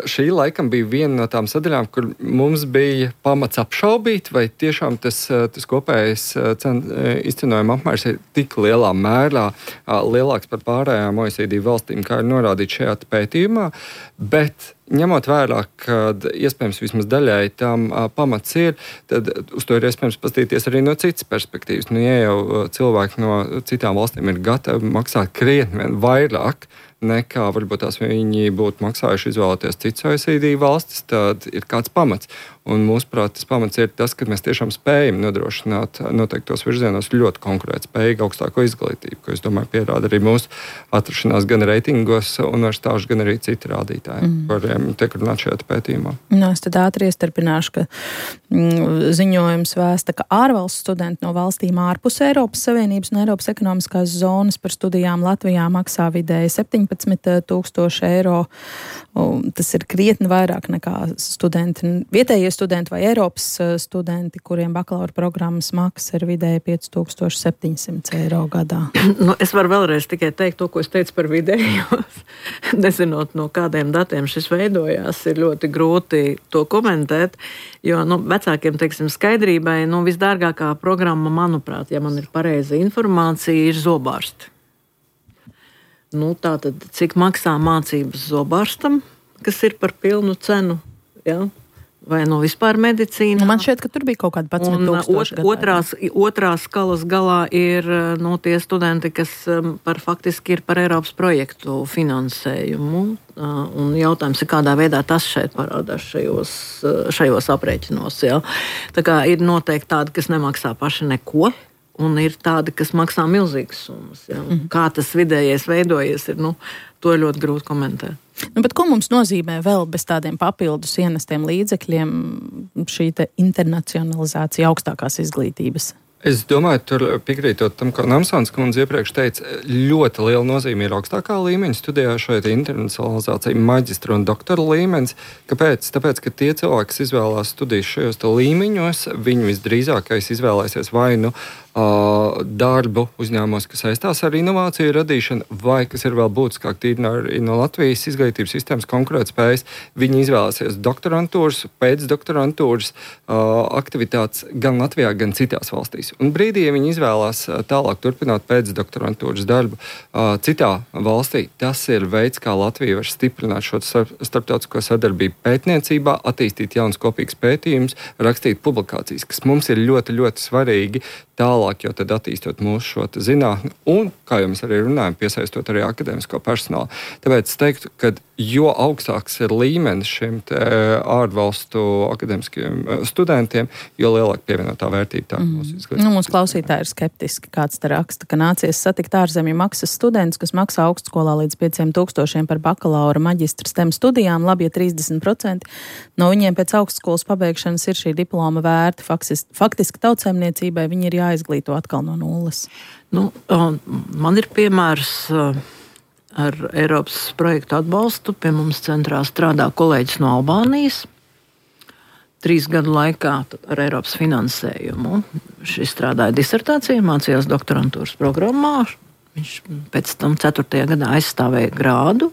šī laikam bija viena no tām sadaļām, kur mums bija pamats apšaubīt, vai tiešām tas, tas kopējais cenu izcenojuma apmērs ir tik lielā mērā uh, lielāks par pārējām O E C D valstīm, kā ir norādīts šajā pētījumā, bet ņemot vērā, ka iespējams vismaz daļai tam a, pamats ir, tad uz to ir iespējams paskatīties arī no citas perspektīvas. Nu, ja jau cilvēki no citām valstīm ir gatavi maksāt krietni vairāk, nekā varbūt tās viņi būtu maksājuši izvēlēties citas O E C D valstis, tad ir kāds pamats. Un mūsuprāt, tas pamats ir tas, ka mēs tiešām spējam nodrošināt noteiktos virzienos ļoti konkurētspējīgu augstāko izglītību, ko es domāju pierāda arī mūsu atrašanās gan reitingos universitāšu, gan arī citi rādītāji, mm. kuriem tiek runāt šajā pētījumā. No, es tad ātri iestarpināšu, ka mm, ziņojums vēsta, ka ārvalstu studenti no valstīm ārpus Eiropas Savienības un Eiropas ekonomiskās zonas par studijām Latvijā maksā vidēji septiņpadsmit tūkstoši eiro. Tas ir krietni vairāk nekā studenti, vietējie studenti vai Eiropas studenti, kuriem bakalaura programmas maksa ir vidēji pieci tūkstoši septiņsimt eiro gadā. Nu, es varu vēlreiz tikai teikt to, ko es teicu par vidējos. Nezinot, no kādiem datiem šis veidojās, ir ļoti grūti to komentēt, jo nu, vecākiem, teiksim, skaidrībai, nu, visdārgākā programma, manuprāt, ja man ir pareiza informācija, ir zobārsti. Nu, tātad, cik maksā mācības zobārstam, kas ir par pilnu cenu, ja? Vai no vispār medicīna? Nu, man šķiet, ka tur bija kaut kāda padsmit tūkstoši gadā. Otrās, otrās skalas galā ir nu, tie studenti, kas par, faktiski ir par Eiropas projektu finansējumu. Un jautājums ir, kādā veidā tas šeit parādās šajos, šajos aprēķinos. Ja? Tā kā ir noteikti tādi, kas nemaksā paši neko. Un ir tādi, kas maksā milzīgas summas. Ja? Mm-hmm. Kā tas vidējais veidojies, ir, nu, to ir ļoti grūti komentēt. Nu, bet ko mums nozīmē vēl bez tādiem papildus ienestiem līdzekļiem šī te internacionalizācija augstākās izglītības? Es domāju, tur piekrītot tam, ko Namsons kundze iepriekš teica, ļoti liela nozīme ir augstākā līmeņa studijā šeit internacionalizācija, maģistra un doktora līmenis. Kāpēc? Tāpēc, ka tie cilvēki, kas izvēlās studijas šajos līmeņos, viņi visdrīzākais izvēlēsies vai nu uh, darbu uzņēmumos, kas saistās ar inovāciju radīšanu, vai, kas ir vēl būtiskāk, tīri no, no Latvijas izglītības sistēmas konkurētspējas, viņi izvēlēsies doktorantūras, pēcdoktorantūras uh, aktivitātes gan Latvijā, gan citās valstīs. Un brīdī, ja viņi izvēlās tālāk turpināt pēcdoktorantūras darbu uh, citā valstī, tas ir veids, kā Latvija var stiprināt šo starptautisko sadarbību pētniecībā, attīstīt jaunas kopīgas pētījumus, rakstīt publikācijas, kas mums ir ļoti, ļoti svarīgi tālāk, jo tad attīstot mūsu šo zinātni un, kā jau mēs arī runājam, piesaistot arī akadēmisko personālu. Tāpēc es teiktu, ka jo augstāks ir līmenis šiem ārvalstu akadēmiskiem studentiem, jo lielāka pievienotā vērtība tā mūsu izglītības. Nu, mūsu klausītāji ir skeptiski, kāds te raksta, ka nācies satikt ārzemju maksas students, kas maksā augstskolā līdz pieciem tūkstošiem par bakalaura maģistra STEM studijām, labi, ja trīsdesmit procenti no viņiem pēc augstskolas pabeigšanas ir šī diploma vērti. Faktiski, faktiski tautsēmniecībai viņi ir jāizglīto atkal no nulles. Nu, man ir piemērs ar Eiropas projektu atbalstu. Pie mums centrā strādā kolēģis no Albānijas. Trīs gadu laikā ar Eiropas finansējumu. Šis strādāja disertācijā, mācījās doktorantūras programmā. Viņš pēc tam ceturtajā gadā aizstāvēja grādu.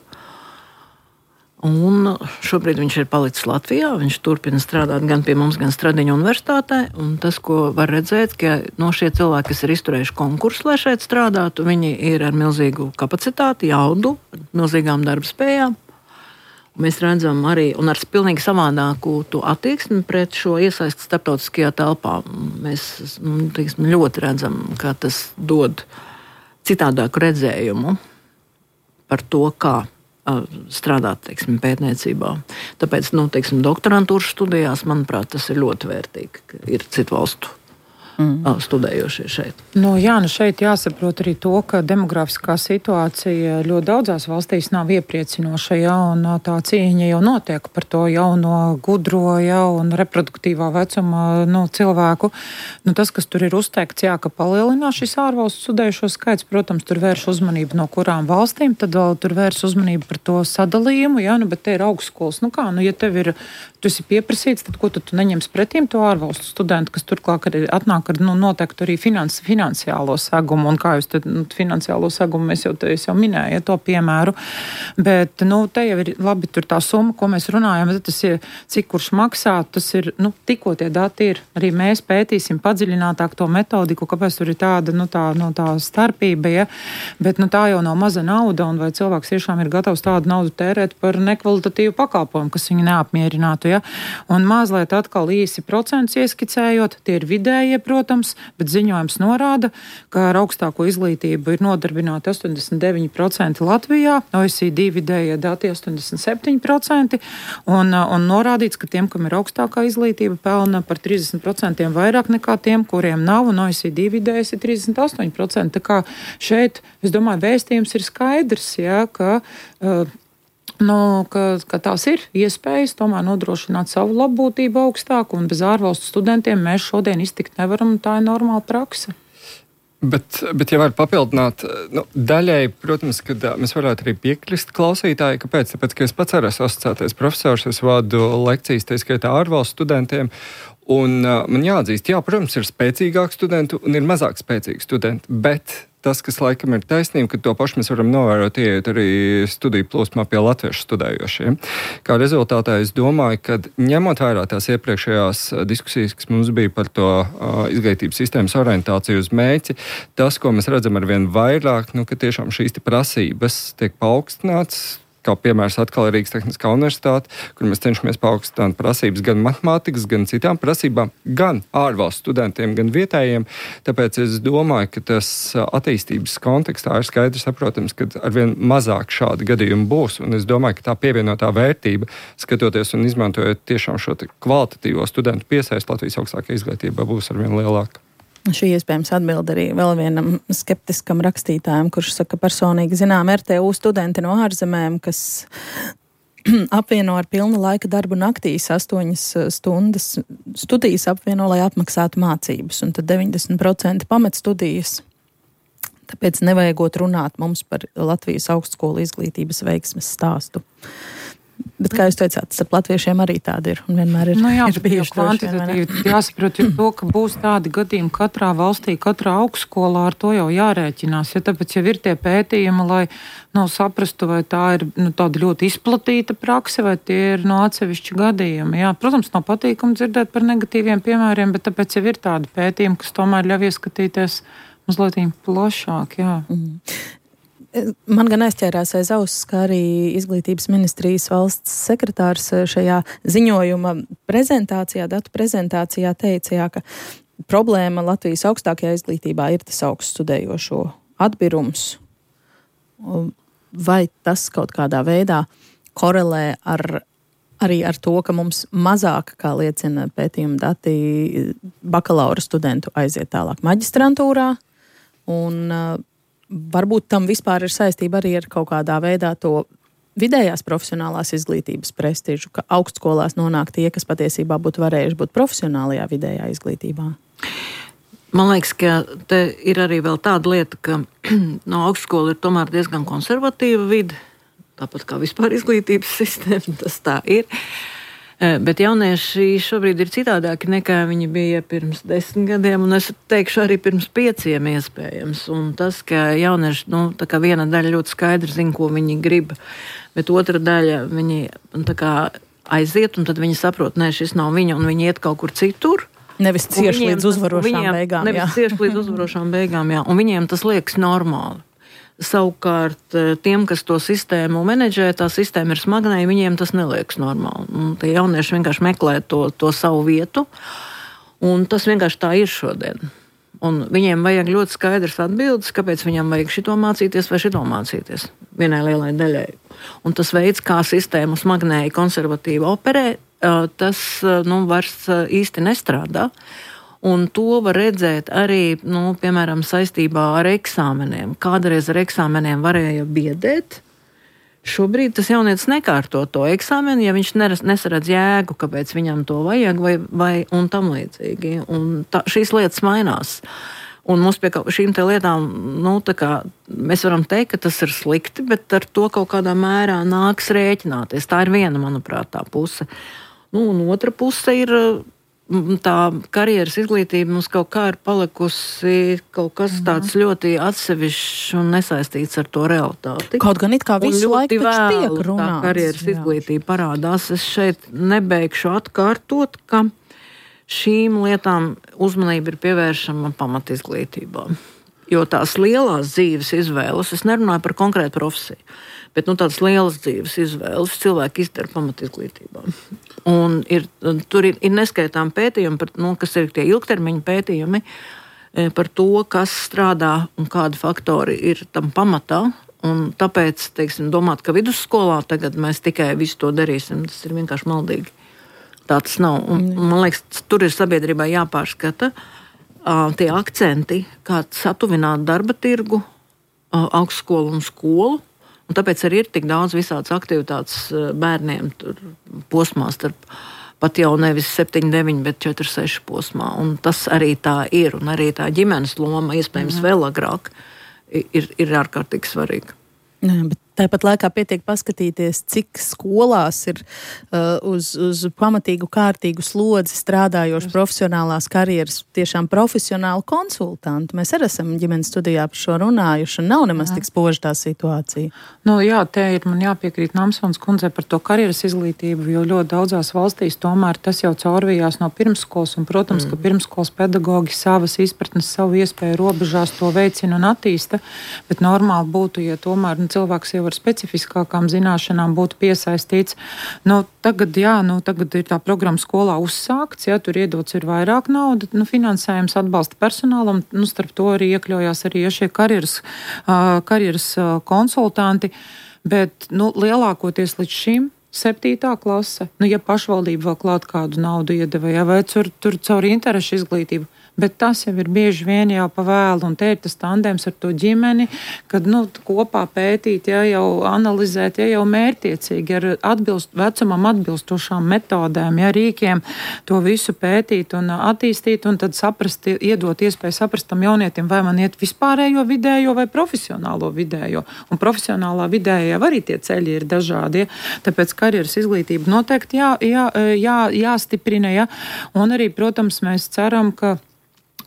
Un šobrīd viņš ir palicis Latvijā. Viņš turpina strādāt gan pie mums, gan Stradiņa universitātē. Un tas, ko var redzēt, ka no šie cilvēki, kas ir izturējuši konkursu, lai šeit strādātu, viņi ir ar milzīgu kapacitāti, jaudu, milzīgām darba spējām. Mēs redzam arī, un ar pilnīgi savādāku attieksmi pret šo iesaisti starptautiskajā telpā. Mēs teiksim, ļoti redzam, ka tas dod citādāku redzējumu par to, kā strādāt teiksim, pētniecībā. Tāpēc nu, teiksim, doktorantūras studijās, manuprāt, tas ir ļoti vērtīgi, ka ir citu valstu mm. studējošie šeit. Nu, jā, nu šeit jāsaprot arī to, ka demografiskā situācija ļoti daudzās valstīs nav iepriecinoša, ja, un tā cīņa jau notiek par to jauno gudro, ja, un reproduktīvā vecuma nu, cilvēku. Nu, tas, kas tur ir uzteikts, jā, ka palielinās šis ārvalstu studējušo skaits, protams, tur vērš uzmanību no kurām valstīm, tad vēl tur vērš uzmanību par to sadalījumu, ja, nu, bet te ir augstskolas. Nu kā, nu, ja tev ir, tu esi pieprasīts, tad ko tu, tu neņems pretīm to ārvalstu studentu, kas turklāt arī atnāk ar nu, noteikti arī finans, finansiālo segumu, un kā jūs te, nu, finansiālo segumu mēs jau, te, jau minēju, ja, to piemēru, bet, nu, te jau ir labi tur tā summa, ko mēs runājam, tas ir, cik kurš maksā, tas ir, nu, tikko tie dati ir, arī mēs pētīsim padziļinātāk to metodiku, kāpēc tur ir tāda, nu, tā, nu, tā starpība, ja, bet, nu, tā jau nav maza nauda, un vai cilvēks tiešām ir gatavs tādu naudu tērēt par nekvalitatīvu pakalpojumu, kas viņu neapmierinātu, ja, un mazliet atkal īsi procents ieskicējot, tie ir vidējie, protams, bet ziņojums norāda, ka ar augstāko izglītību ir nodarbināti astoņdesmit deviņi procenti Latvijā, O E C D vidējie dati astoņdesmit septiņi procenti, un, un norādīts, ka tiem, kam ir augstākā izglītība, pelna par trīsdesmit procentiem vairāk nekā tiem, kuriem nav, un O E C D vidējais ir trīsdesmit astoņi procenti. Tā kā šeit, es domāju, vēstījums ir skaidrs, ja, ka uh, Nu, ka, ka tās ir iespējas tomēr nodrošināt savu labbūtību augstāku, un bez ārvalstu studentiem mēs šodien iztikt nevaram, tā ir normāla praksa. Bet, bet ja var papildināt, nu, daļai, protams, kad mēs varētu arī piekrist klausītāji, kāpēc? Tāpēc, ka es pats arī esmu asociētais profesors, es vadu lekcijas, tā skaitā ārvalstu studentiem, un uh, man jāatzīst, jā, protams, ir spēcīgāki studenti un ir mazāk spēcīgi studenti, bet tas, kas laikam ir taisnība, ka to pašu mēs varam novērot, ieiet arī studiju plūsmā pie latviešu studējošiem. Kā rezultātā es domāju, ka ņemot vērā tās iepriekšējās diskusijas, kas mums bija par to uh, izglītības sistēmas orientāciju uz mērķi, tas, ko mēs redzam ar vien vairāk, nu, ka tiešām šīs prasības tiek paaugstināts, kā piemērs atkal Rīgas Tehniskā universitāte, kur mēs cenšamies paaugstināt prasības gan matemātikas, gan citām prasībām, gan ārvalstu studentiem, gan vietējiem. Tāpēc es domāju, ka tas attīstības kontekstā ir skaidrs saprotams, ka arvien mazāk šādi gadījumi būs, un es domāju, ka tā pievienotā vērtība, skatoties un izmantojot tiešām šo kvalitatīvo studentu piesaisti Latvijas augstākajā izglītībā, būs arvien lielāka. Šī iespējams atbild arī vēl vienam skeptiskam rakstītājam, kurš saka, personīgi zinām R T U studenti no ārzemēm, kas apvieno ar pilna laika darbu naktīs astoņas stundas studijas apvieno, lai apmaksātu mācības, un tad deviņdesmit procenti pamet studijas. Tāpēc nevajagot runāt mums par Latvijas augstskolu izglītības veiksmes stāstu. Bet, kā jūs teicāt, starp latviešiem arī tādi ir un vienmēr ir, nu jā, ir bijuši kvantitatīvi. Jāsaprot, jo to, ka būs tādi gadījumi katrā valstī, katrā augstskolā, ar to jau jārēķinās. Ja tāpēc jau ir tie pētījumi, lai nu, saprastu, vai tā ir nu, tāda ļoti izplatīta prakse, vai tie ir no atsevišķi gadījumi. Jā, protams, nav patīkami dzirdēt par negatīviem piemēriem, bet tāpēc jau ir tādi pētījumi, kas tomēr ļauj ieskatīties mazliet plašāk. Jā. Mm. Man gan aizķērās aiz auss, ka arī Izglītības ministrijas valsts sekretārs šajā ziņojuma prezentācijā, datu prezentācijā teica, jā, ka problēma Latvijas augstākajā izglītībā ir tas augsts studējošo atbirums. Vai tas kaut kādā veidā korelē ar, arī ar to, ka mums mazāk, kā liecina pētījuma dati, bakalaura studentu aiziet tālāk maģistrantūrā, un varbūt tam vispār ir saistība arī ar kaut kādā veidā to vidējās profesionālās izglītības prestižu, ka augstskolās nonāk tie, kas patiesībā būtu varējuši būt profesionālajā vidējā izglītībā? Man liekas, ka te ir arī vēl tāda lieta, ka no augstskola ir tomēr diezgan konservatīva vide, tāpat kā vispār izglītības sistēma, tas tā ir. Bet jaunieši šobrīd ir citādāki nekā viņi bija pirms desmit gadiem, un es teikšu arī pirms pieciem iespējams. Un tas, ka jaunieši, nu, tā kā viena daļa ļoti skaidri zina, ko viņi grib, bet otra daļa viņi tā kā aiziet, un tad viņi saprot, nē, šis nav viņa, un viņi iet kaut kur citur. Nevis cieši līdz uzvarošām viņiem, beigām. Nevis cieši līdz uzvarošām beigām, jā. Un viņiem tas liekas normāli. Savukārt tiem, kas to sistēmu menedžē, tā sistēma ir smagnēja, viņiem tas neliekas normāli. Un tie jaunieši vienkārši meklē to, to savu vietu, un tas vienkārši tā ir šodien. Un viņiem vajag ļoti skaidrs atbildes, kāpēc viņam vajag šito mācīties vai šito mācīties vienai lielai daļai. Un tas veids, kā sistēmu smagnēji konservatīvi operē, tas nu, vairs īsti nestrādā. Un to var redzēt arī, nu, piemēram, saistībā ar eksāmeniem. Kādreiz ar eksāmeniem varēja biedēt. Šobrīd tas jaunietis nekārto to eksāmenu, ja viņš nesaredz jēgu, kāpēc viņam to vajag, vai, vai un tam līdzīgi. Un tā, šīs lietas mainās. Un mums pie šīm te lietām, nu, tā kā mēs varam teikt, ka tas ir slikti, bet ar to kaut kādā mērā nāks rēķināties. Tā ir viena, manuprāt, tā puse. Nu, un otra puse ir tā karjeras izglītība mums kaut kā ir palikusi kaut kas tāds ļoti atsevišķs un nesaistīts ar to realitāti. Kaut gan it kā visu laiku taču tiek runāts. Tā karjeras jā. Izglītība parādās. Es šeit nebeigšu atkārtot, ka šīm lietām uzmanība ir pievēršama pamatizglītībā. Jo tās lielās dzīves izvēles, es nerunāju par konkrētu profesiju, bet nu, tādas lielas dzīves izvēles cilvēki izdara pamatizglītībā. Un ir, tur ir, ir neskaitām pētījumi, par, nu, kas ir tie ilgtermiņa pētījumi par to, kas strādā un kādi faktori ir tam pamatā. Un tāpēc, teiksim, domāt, ka vidusskolā tagad mēs tikai visu to darīsim, tas ir vienkārši maldīgi. Tā tas nav. Un, man liekas, tur ir sabiedrībai jāpārskata uh, tie akcenti, kā satuvināt darba tirgu, uh, augstskolu un skolu. Un tāpēc arī ir tik daudz visādas aktivitātes bērniem tur posmā starp pat jau nevis septiņi, deviņi, bet četri, seši posmā. Un tas arī tā ir. Un arī tā ģimenes loma, iespējams, vēl agrāk, ir, ir ārkārtīgi svarīga. Jā, bet tāpat laikā pietiek paskatīties, cik skolās ir uh, uz, uz pamatīgu, kārtīgu slodzi strādājoši profesionālās karjeras, tiešām profesionāli konsultanti. Mēs arī esam ģimenes studijā par šo runājuši, un nav nemaz tik spoža tā situācija. Nu, jā, te ir man jāpiekrīt Namsons kundzei par to karjeras izglītību, jo ļoti daudzās valstīs tomēr tas jau caurvījās no pirmskolas, un, protams, mm. ka pirmskolas pedagogi savas izpratnes, savu iespēju robežās to veicina un attīsta, bet normāli būtu, ja tomēr nu, cilvēks jau ar specifiskākām zināšanām būtu piesaistīts. Nu, tagad, jā, nu, tagad ir tā programma skolā uzsākts, jā, tur iedots ir vairāk nauda, nu, finansējums atbalsta personālam, nu, starp to arī iekļaujās arī ja šie karjeras, uh, karjeras uh, konsultanti, bet, nu, lielākoties līdz šim septītā klase, nu, ja pašvaldība vēl klāt kādu naudu iedeva, ja, vai tur, tur caur interešu izglītību. Bet tas jau ir bieži vien jau pa vēlu, un te ir tas tandēms ar to ģimeni, kad, nu, kopā pētīt, ja jau analizēt, ja jau mērtiecīgi ar atbilst, vecumam atbilstošām metodēm, ja rīkiem to visu pētīt un attīstīt, un tad saprast, iedot iespēju saprast tam jaunietim, vai man iet vispārējo vidējo vai profesionālo vidējo. Un profesionālā vidējā arī tie ceļi ir dažādi, ja? Tāpēc karjeras izglītība noteikti jā, jā, jā, jāstiprina, ja? Un arī, protams, mēs ceram, ka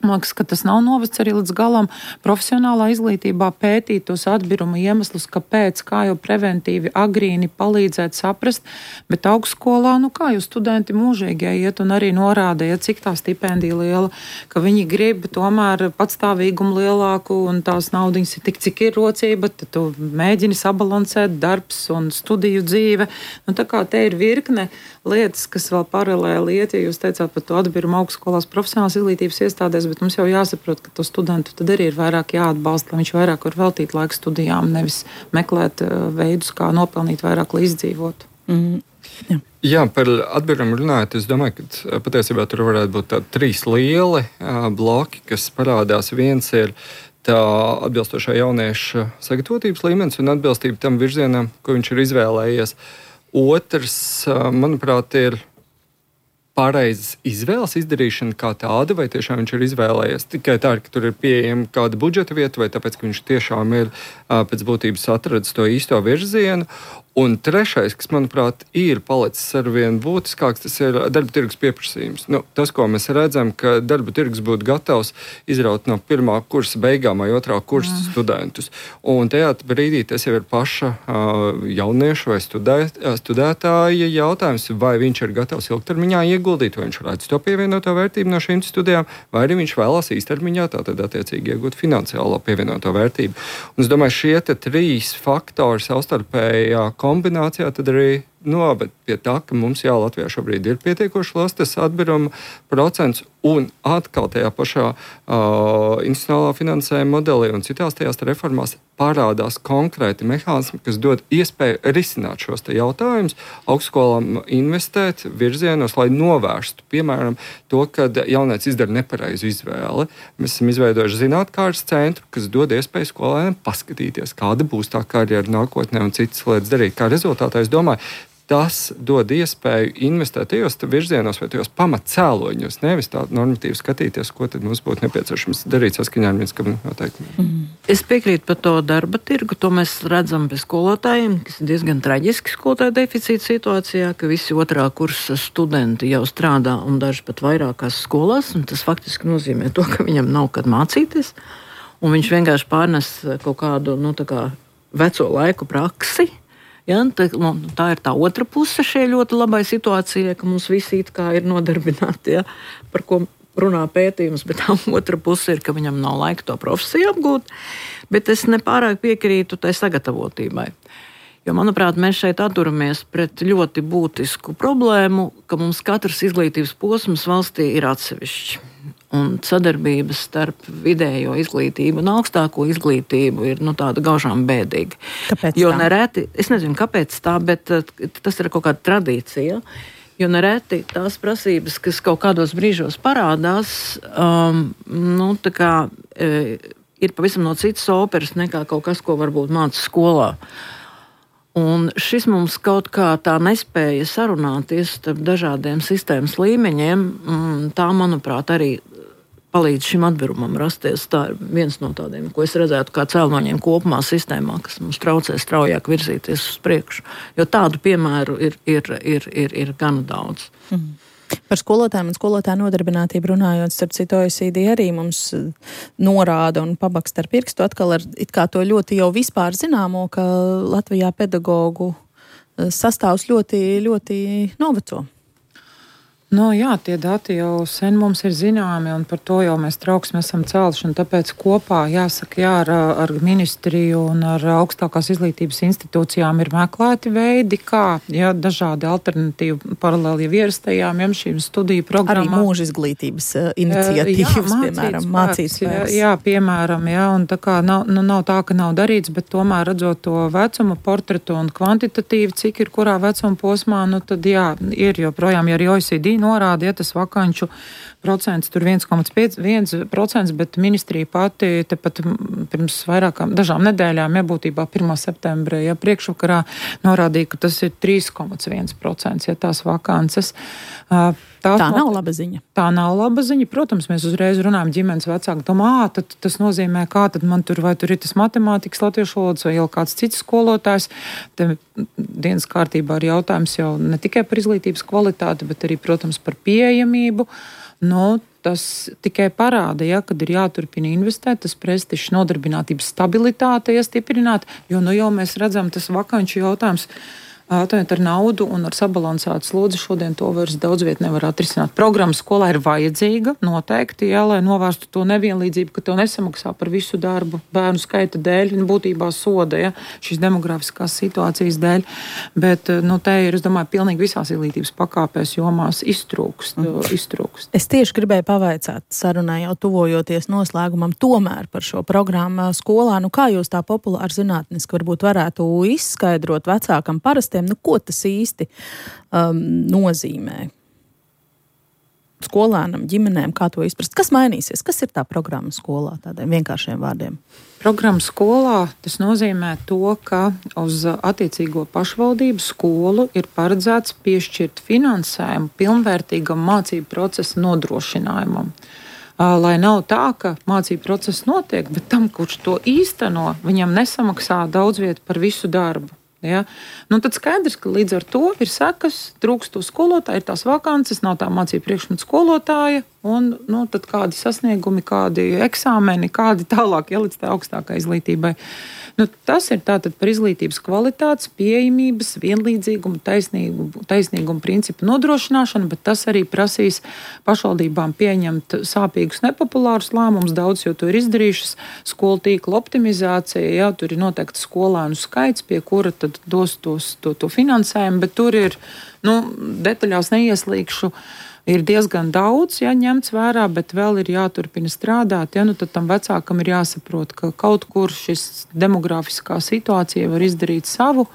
man liekas, ka tas nav novests arī līdz galam profesionālā izglītībā pētīt tos atbiruma iemeslus, kāpēc, kā jau preventīvi, agrīni palīdzēt saprast, bet augstskolā, nu kā jūs studenti mūžīgi iet un arī norāda, ja cik tā stipendija liela, ka viņi grib tomēr patstāvīgumu lielāku un tās naudiņas ir tik, cik ir rocība, tad tu mēģini sabalansēt darbs un studiju dzīve. Nu tā kā te ir virkne lietas, kas vēl paralēli iet, ja jūs teicāt par to atbirumu augstskolās profesionālās izglītības iestādēs, bet mums jau jāsaprot, ka to studentu tad arī ir vairāk jāatbalsta, lai viņš vairāk var veltīt laiku studijām, nevis meklēt veidus, kā nopelnīt vairāk, lai izdzīvotu. Mm, jā. Jā, par atbirumu runājot, es domāju, ka patiesībā tur varētu būt tādi trīs lieli uh, bloki, kas parādās. Viens ir tā atbilstošā jaunieša sagatavotības līmenis un atbilstība tam virzienam, ko viņš ir izvēlējies. Otrs, uh, manuprāt, ir pareizas izvēles izdarīšana kā tāda, vai tiešām viņš ir izvēlējies tikai tā, ka tur ir pieejama kāda budžeta vieta, vai tāpēc, ka viņš tiešām ir uh, pēc būtības atradis to īsto virzienu. Un trešais, kas, manuprāt, ir palicis arvien būtiskāks, tas ir darba tirgus pieprasījums. Nu, tas, ko mēs redzam, ka darba tirgus būtu gatavs izraut no pirmā kursa beigām vai otrā kursa mm. studentus. Un tajā brīdī tas jau ir paša uh, jaunieša vai studē, studētāja jautājums, vai viņš ir gatavs ilgtermiņā ieguldīt, vai viņš redz to pievienoto vērtību no šīm studijām, vai arī viņš vēlās īstermiņā tātad attiecīgi iegūt finansiālo pievienoto vērtību. Un es domāju, šie te trīs faktori savstarpējā kombinācijā tad arī noved pie tā, ka mums jā, Latvijā šobrīd ir pietiekoši liels tas atbiruma procents, un atkal tajā pašā uh, institucionālā finansējuma modelī un citās tajās reformās parādās konkrēti mehānismi, kas dod iespēju risināt šos te jautājumus, augstskolām investēt virzienos, lai novērstu, piemēram, to, kad jaunieci izdara nepareizu izvēli. Mēs esam izveidojuši zinātkārtas centru, kas dod iespēju skolēniem paskatīties, kāda būs tā karjera nākotnē un citas lietas darīt. Kā rezultātā, es domāju, tas dod iespēju investēt tajos virzienos vai tajos pamatcēloņos, nevis tā normatīvi skatīties, ko tad mums būtu nepieciešams darīt saskaņā ar vienskam noteikumiem. Mm. Es piekrītu par to darba tirgu, to mēs redzam pie skolotājiem, kas ir diezgan traģiski skolotāju deficīta situācijā, ka visi otrā kursa studenti jau strādā un daži pat vairākās skolās, un tas faktiski nozīmē to, ka viņam nav kad mācīties, un viņš vienkārši pārnes kaut kādu, nu, tā kā veco laiku praksi. Ja, tā, nu, tā ir tā otra puse šai ļoti labai situācijai, ka mums visi it kā ir nodarbināti, ja, par ko runā pētījums, bet tā otra puse ir, ka viņam nav laika to profesiju apgūt. Bet es nepārāk piekrītu tai sagatavotībai. Jo, manuprāt, mēs šeit atturamies pret ļoti būtisku problēmu, ka mums katrs izglītības posms valstī ir atsevišķi. Un sadarbības starp vidējo izglītību un augstāko izglītību ir nu, tāda gaužām bēdīga. Kāpēc jo tā? Nereti, es nezinu, kāpēc tā, bet tas ir kaut kāda tradīcija. Jo nereti tās prasības, kas kaut kādos brīžos parādās, um, nu, tā kā, e, ir pavisam no citas operas nekā kaut kas, ko varbūt māca skolā. Un šis mums kaut kā tā nespēja sarunāties starp dažādiem sistēmas līmeņiem, tā, manuprāt, arī palīdz šim atbirumam rasties. Tā ir viens no tādiem, ko es redzētu kā cēloņiem kopumā sistēmā, kas mums traucē straujāk virzīties uz priekšu. Jo tādu piemēru ir, ir, ir, ir, ir gana daudz. Mm. Par skolotājiem un skolotāju nodarbinātību runājot, starp citu O E C D arī mums norāda un pabaksta ar pirkstu atkal ar it kā to ļoti jau vispār zināmo, ka Latvijā pedagogu sastāvs ļoti, ļoti noveco. No, jā, tie dati jau sen mums ir zināmi, un par to jau mēs trauksmi esam cēluši. Tāpēc kopā, jāsaka, jā, ar, ar ministriju un ar augstākās izglītības institūcijām ir meklēti veidi, kā jā, dažādi alternatīvi paralēli jau ierastajām, jā, šīm studiju programmām. Arī mūža izglītības iniciatīvas, jā, piemēram, mācīt spēks. Jā, jā, piemēram, jā, un tā kā nav, nu, nav tā, ka nav darīts, bet tomēr redzot to vecuma portretu un kvantitatīvi, cik ir kurā vecuma posmā, nu tad jā, ir joprojām, ja arī O E C D norāda, ja tas vakanču procents tur viens komats viens procents, bet ministrija pati tepat pirms vairākām dažām nedēļām, ja būtībā pirmā septembrī, ja priekšvakarā norādīja, ka tas ir trīs komats viens procents, ja tās vakances. Tā, tā nav laba ziņa. Tā nav laba ziņa. Protams, mēs uzreiz runājam ģimenes vecāki, domā, ā, tad tas nozīmē, kā tad man tur, vai tur ir tas matemātikas, latviešu valodas vai jau kāds cits skolotājs. Te dienas kārtībā ir jautājums jau ne tikai par izglītības kvalitāti, bet arī, protams, par pieejamību. Nu, tas tikai parāda, ja, kad ir jāturpina investēt, tas prestižs nodarbinātības stabilitāte iestiprināt, jo nu jau mēs redzam, tas vakanču jautājums Atvainojiet, ar naudu un ar sabalansētu slodzi šodien to vairs daudz viet nevar atrisināt. Programma skolā ir vajadzīga, noteikti, jā, lai novērstu to nevienlīdzību, ka tev nesamaksā par visu darbu bērnu skaita dēļ, būtībā soda, ja, šīs demografiskās situācijas dēļ. Bet, nu, te ir, es domāju, pilnīgi visās izglītības pakāpēs jomās iztrūkst, mm. iztrūkst. Es tieši gribēju pavaicāt sarunai jau tuvojoties noslēgumam tomēr par šo programmu skolā. Nu, kā jūs tā populāri zinātniski varbūt varētu izskaidrot vecākam parastiem, nu, ko tas īsti um, nozīmē skolēnam, ģimenēm, kā to izprast? Kas mainīsies? Kas ir tā programma skolā, tādiem vienkāršiem vārdiem? Programma skolā tas nozīmē to, ka uz attiecīgo pašvaldību skolu ir paredzēts piešķirt finansējumu pilnvērtīgam mācību procesa nodrošinājumam. Lai nav tā, ka mācību process notiek, bet tam, kurš to īsteno, viņam nesamaksā daudz viet par visu darbu. Ja? Nu, tad skaidrs, ka līdz ar to ir sekas, trūkst to skolotāju, ir tās vakances, nav tā mācību priekšmetu skolotāja, un nu, tad kādi sasniegumi, kādi eksāmeni, kādi tālāk, ja līdz tā augstākai izglītībai. Nu, tas ir tātad par izglītības kvalitātes, pieejamības, vienlīdzīgumu, taisnīgumu, taisnīgumu principu nodrošināšanu, bet tas arī prasīs pašvaldībām pieņemt sāpīgus, nepopulārus lēmumus, daudz jau to ir izdarījušas, skolu tīkla optimizācija, jā, tur ir noteikti skolēnu skaits, pie kura tad dos tos, to, to finansējumu, bet tur ir, nu, detaļās neieslīgšu, ir diezgan daudz, ja, ņemts vērā, bet vēl ir jāturpina strādāt. Ja, nu, tad tam vecākam ir jāsaprot, ka kaut kur šis demografiskā situācija var izdarīt savu,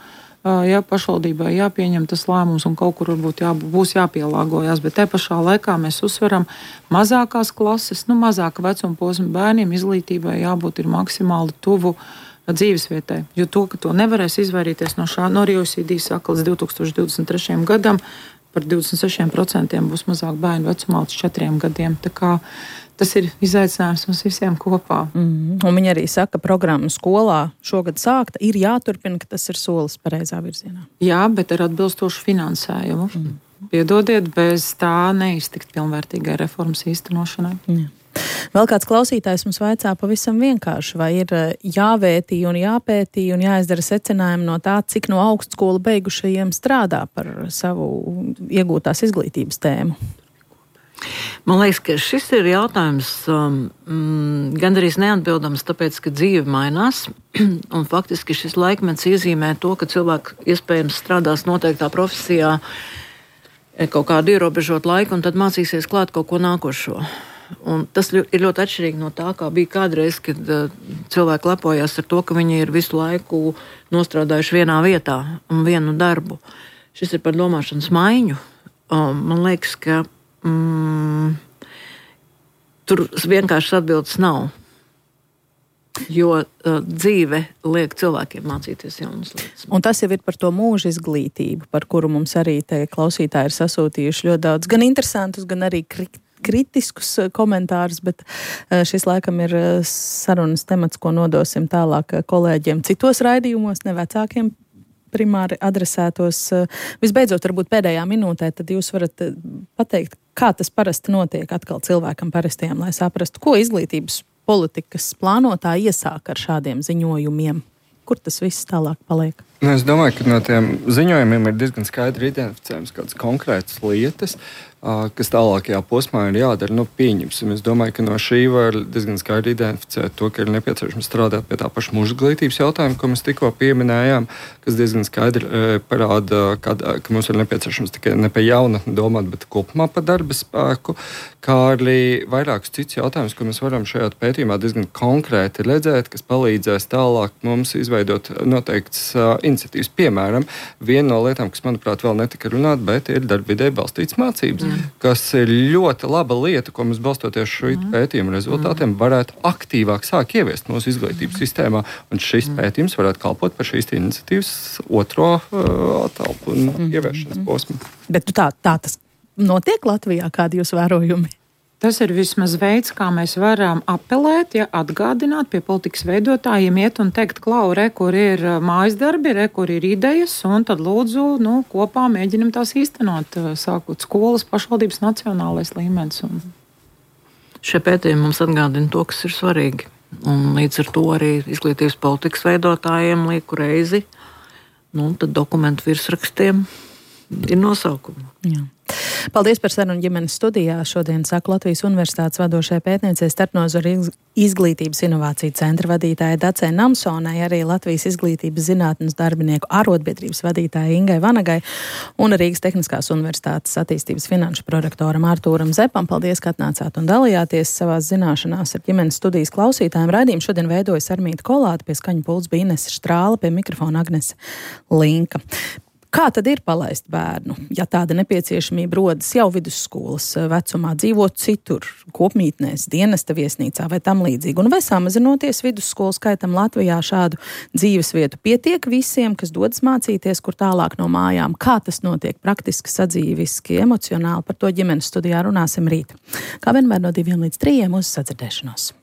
ja pašvaldībai jāpieņem tas lēmums un kaut kur varbūt jā, būs jāpielāgojas. Bet te pašā laikā mēs uzsveram mazākās klases, nu, mazāka vecuma posma bērniem izglītībai jābūt ir maksimāli tuvu dzīvesvietai. Jo to, ka to nevarēs izvairīties no šā, no O E C D saka līdz divi tūkstoši divdesmit trešajam gadam, par divdesmit sešiem procentiem būs mazāk bērnu vecumā līdz četriem gadiem. Tā kā tas ir izaicinājums mums visiem kopā. Mm. Un viņi arī saka, ka programma skolā šogad sākta, ir jāturpina, ka tas ir solis pareizā virzienā. Jā, bet ar atbilstošu finansējumu. Mm. Piedodiet, bez tā neiztikt pilnvērtīgai reformas īstenošanai. Jā. Vēl kāds klausītājs mums vaicā pavisam vienkārši, vai ir jāvērtī un jāpētī un jāizdara secinājumi no tā, cik no augstskolu beigušajiem strādā par savu iegūtās izglītības tēmu? Man liekas, ka šis ir jautājums um, gandrīz neatbildams, tāpēc, ka dzīve mainās. Un faktiski šis laikmets iezīmē to, ka cilvēki iespējams strādās noteiktā profesijā kaut kādu ierobežot laiku un tad mācīsies klāt kaut ko nākošo. Un tas ir ļoti atšķirīgi no tā, kā bija kādreiz, kad uh, cilvēki lepojās ar to, ka viņi ir visu laiku nostrādājuši vienā vietā un vienu darbu. Šis ir par domāšanas maiņu. Um, man liekas, ka mm, tur vienkārši atbildes nav. Jo uh, dzīve liek cilvēkiem mācīties jaunas lietas. Un tas jau ir par to mūža izglītību, par kuru mums arī te klausītāji ir sasūtījuši ļoti daudz gan interesantus, gan arī kritiskus. kritiskus komentārus, bet šis laikam ir sarunas temats, ko nodosim tālāk kolēģiem citos raidījumos, ne vecākiem primāri adresētos. Visbeidzot, varbūt pēdējā minūtē, tad jūs varat pateikt, kā tas parasti notiek atkal cilvēkam parastiem, lai saprastu, ko izglītības politikas plānotāji iesāk ar šādiem ziņojumiem. Kur tas viss tālāk paliek? Es domāju, ka no tiem ziņojumiem ir diezgan skaidri identificējams kādas konkrētas lietas. kas tālākajā posmā ir jādara, nu, pieņemsim. Es domāju, ka no šī var diezgan skaidri identificēt to, ka ir nepieciešams strādāt pie tā paša mūža izglītības jautājuma, ko mēs tikko pieminējām, kas diezgan skaidri e, parāda, kad, ka mums ir nepieciešams tikai ne pie jaunatni domāt, bet kopumā par darba spēku, kā arī vairākus cits jautājumus, ko mēs varam šajā pētījumā diezgan konkrēti redzēt, kas palīdzēs tālāk mums izveidot noteikts uh, iniciatīvas. Piemēram, viena no lietām, kas, manuprāt, vēl netika runāt, bet ir darbvidē balstītas mācības, mm. kas ir ļoti laba lieta, ko mēs balstoties šo mm. pētījumu rezultātiem varētu aktīvāk sāk ieviest mūsu izglītības mm. sistēmā, un šis mm. pētījums varētu kalpot par šīs iniciatīvas otro uh, telpu un mm. ieviešanas mm. posmu. Bet tā, tā tas notiek Latvijā, kādi jūs vērojumi? Tas ir vismaz veids, kā mēs varam apelēt, ja atgādināt pie politikas veidotājiem, iet un teikt, klau, re, kur ir mājas darbi, re, kur ir idejas, un tad lūdzu, nu, kopā mēģinam tās īstenot, sākot skolas, pašvaldības, nacionālais līmenis. Un... Šie pētījumi mums atgādina to, kas ir svarīgi. Un līdz ar to arī izglītības politikas veidotājiem lieku reizi, nu, tad dokumentu virsrakstiem ir nosaukumi. Jā. Paldies par sarunu ģimenes studijā. Šodien saka Latvijas Universitātes vadošajai pētniecei starpnozaru izglītības inovāciju centra vadītāja Dacei Namsonai, arī Latvijas izglītības zinātnes darbinieku arotbiedrības vadītāja Ingai Vanagai un Rīgas Tehniskās Universitātes attīstības finanšu prorektoram Artūram Zepam. Paldies, ka atnācāt un dalījāties savās zināšanās ar ģimenes studijas klausītājiem. Raidījumu šodien veidojas Armīta Kolāte, pie skaņu pults bija Inese Štrāla, pie mikrofona Agnese Linka. Kā tad ir palaist bērnu, ja tāda nepieciešamība rodas jau vidusskolas vecumā, dzīvot citur, kopmītnēs, dienesta viesnīcā vai tam līdzīgi? Un vai samazinoties vidusskolu skaitam Latvijā šādu dzīvesvietu pietiek visiem, kas dodas mācīties, kur tālāk no mājām? Kā tas notiek praktiski, sadzīviski, emocionāli? Par to ģimenes studijā runāsim rīt. Kā vienmēr no diviem līdz trījiem uz sadzirdēšanos.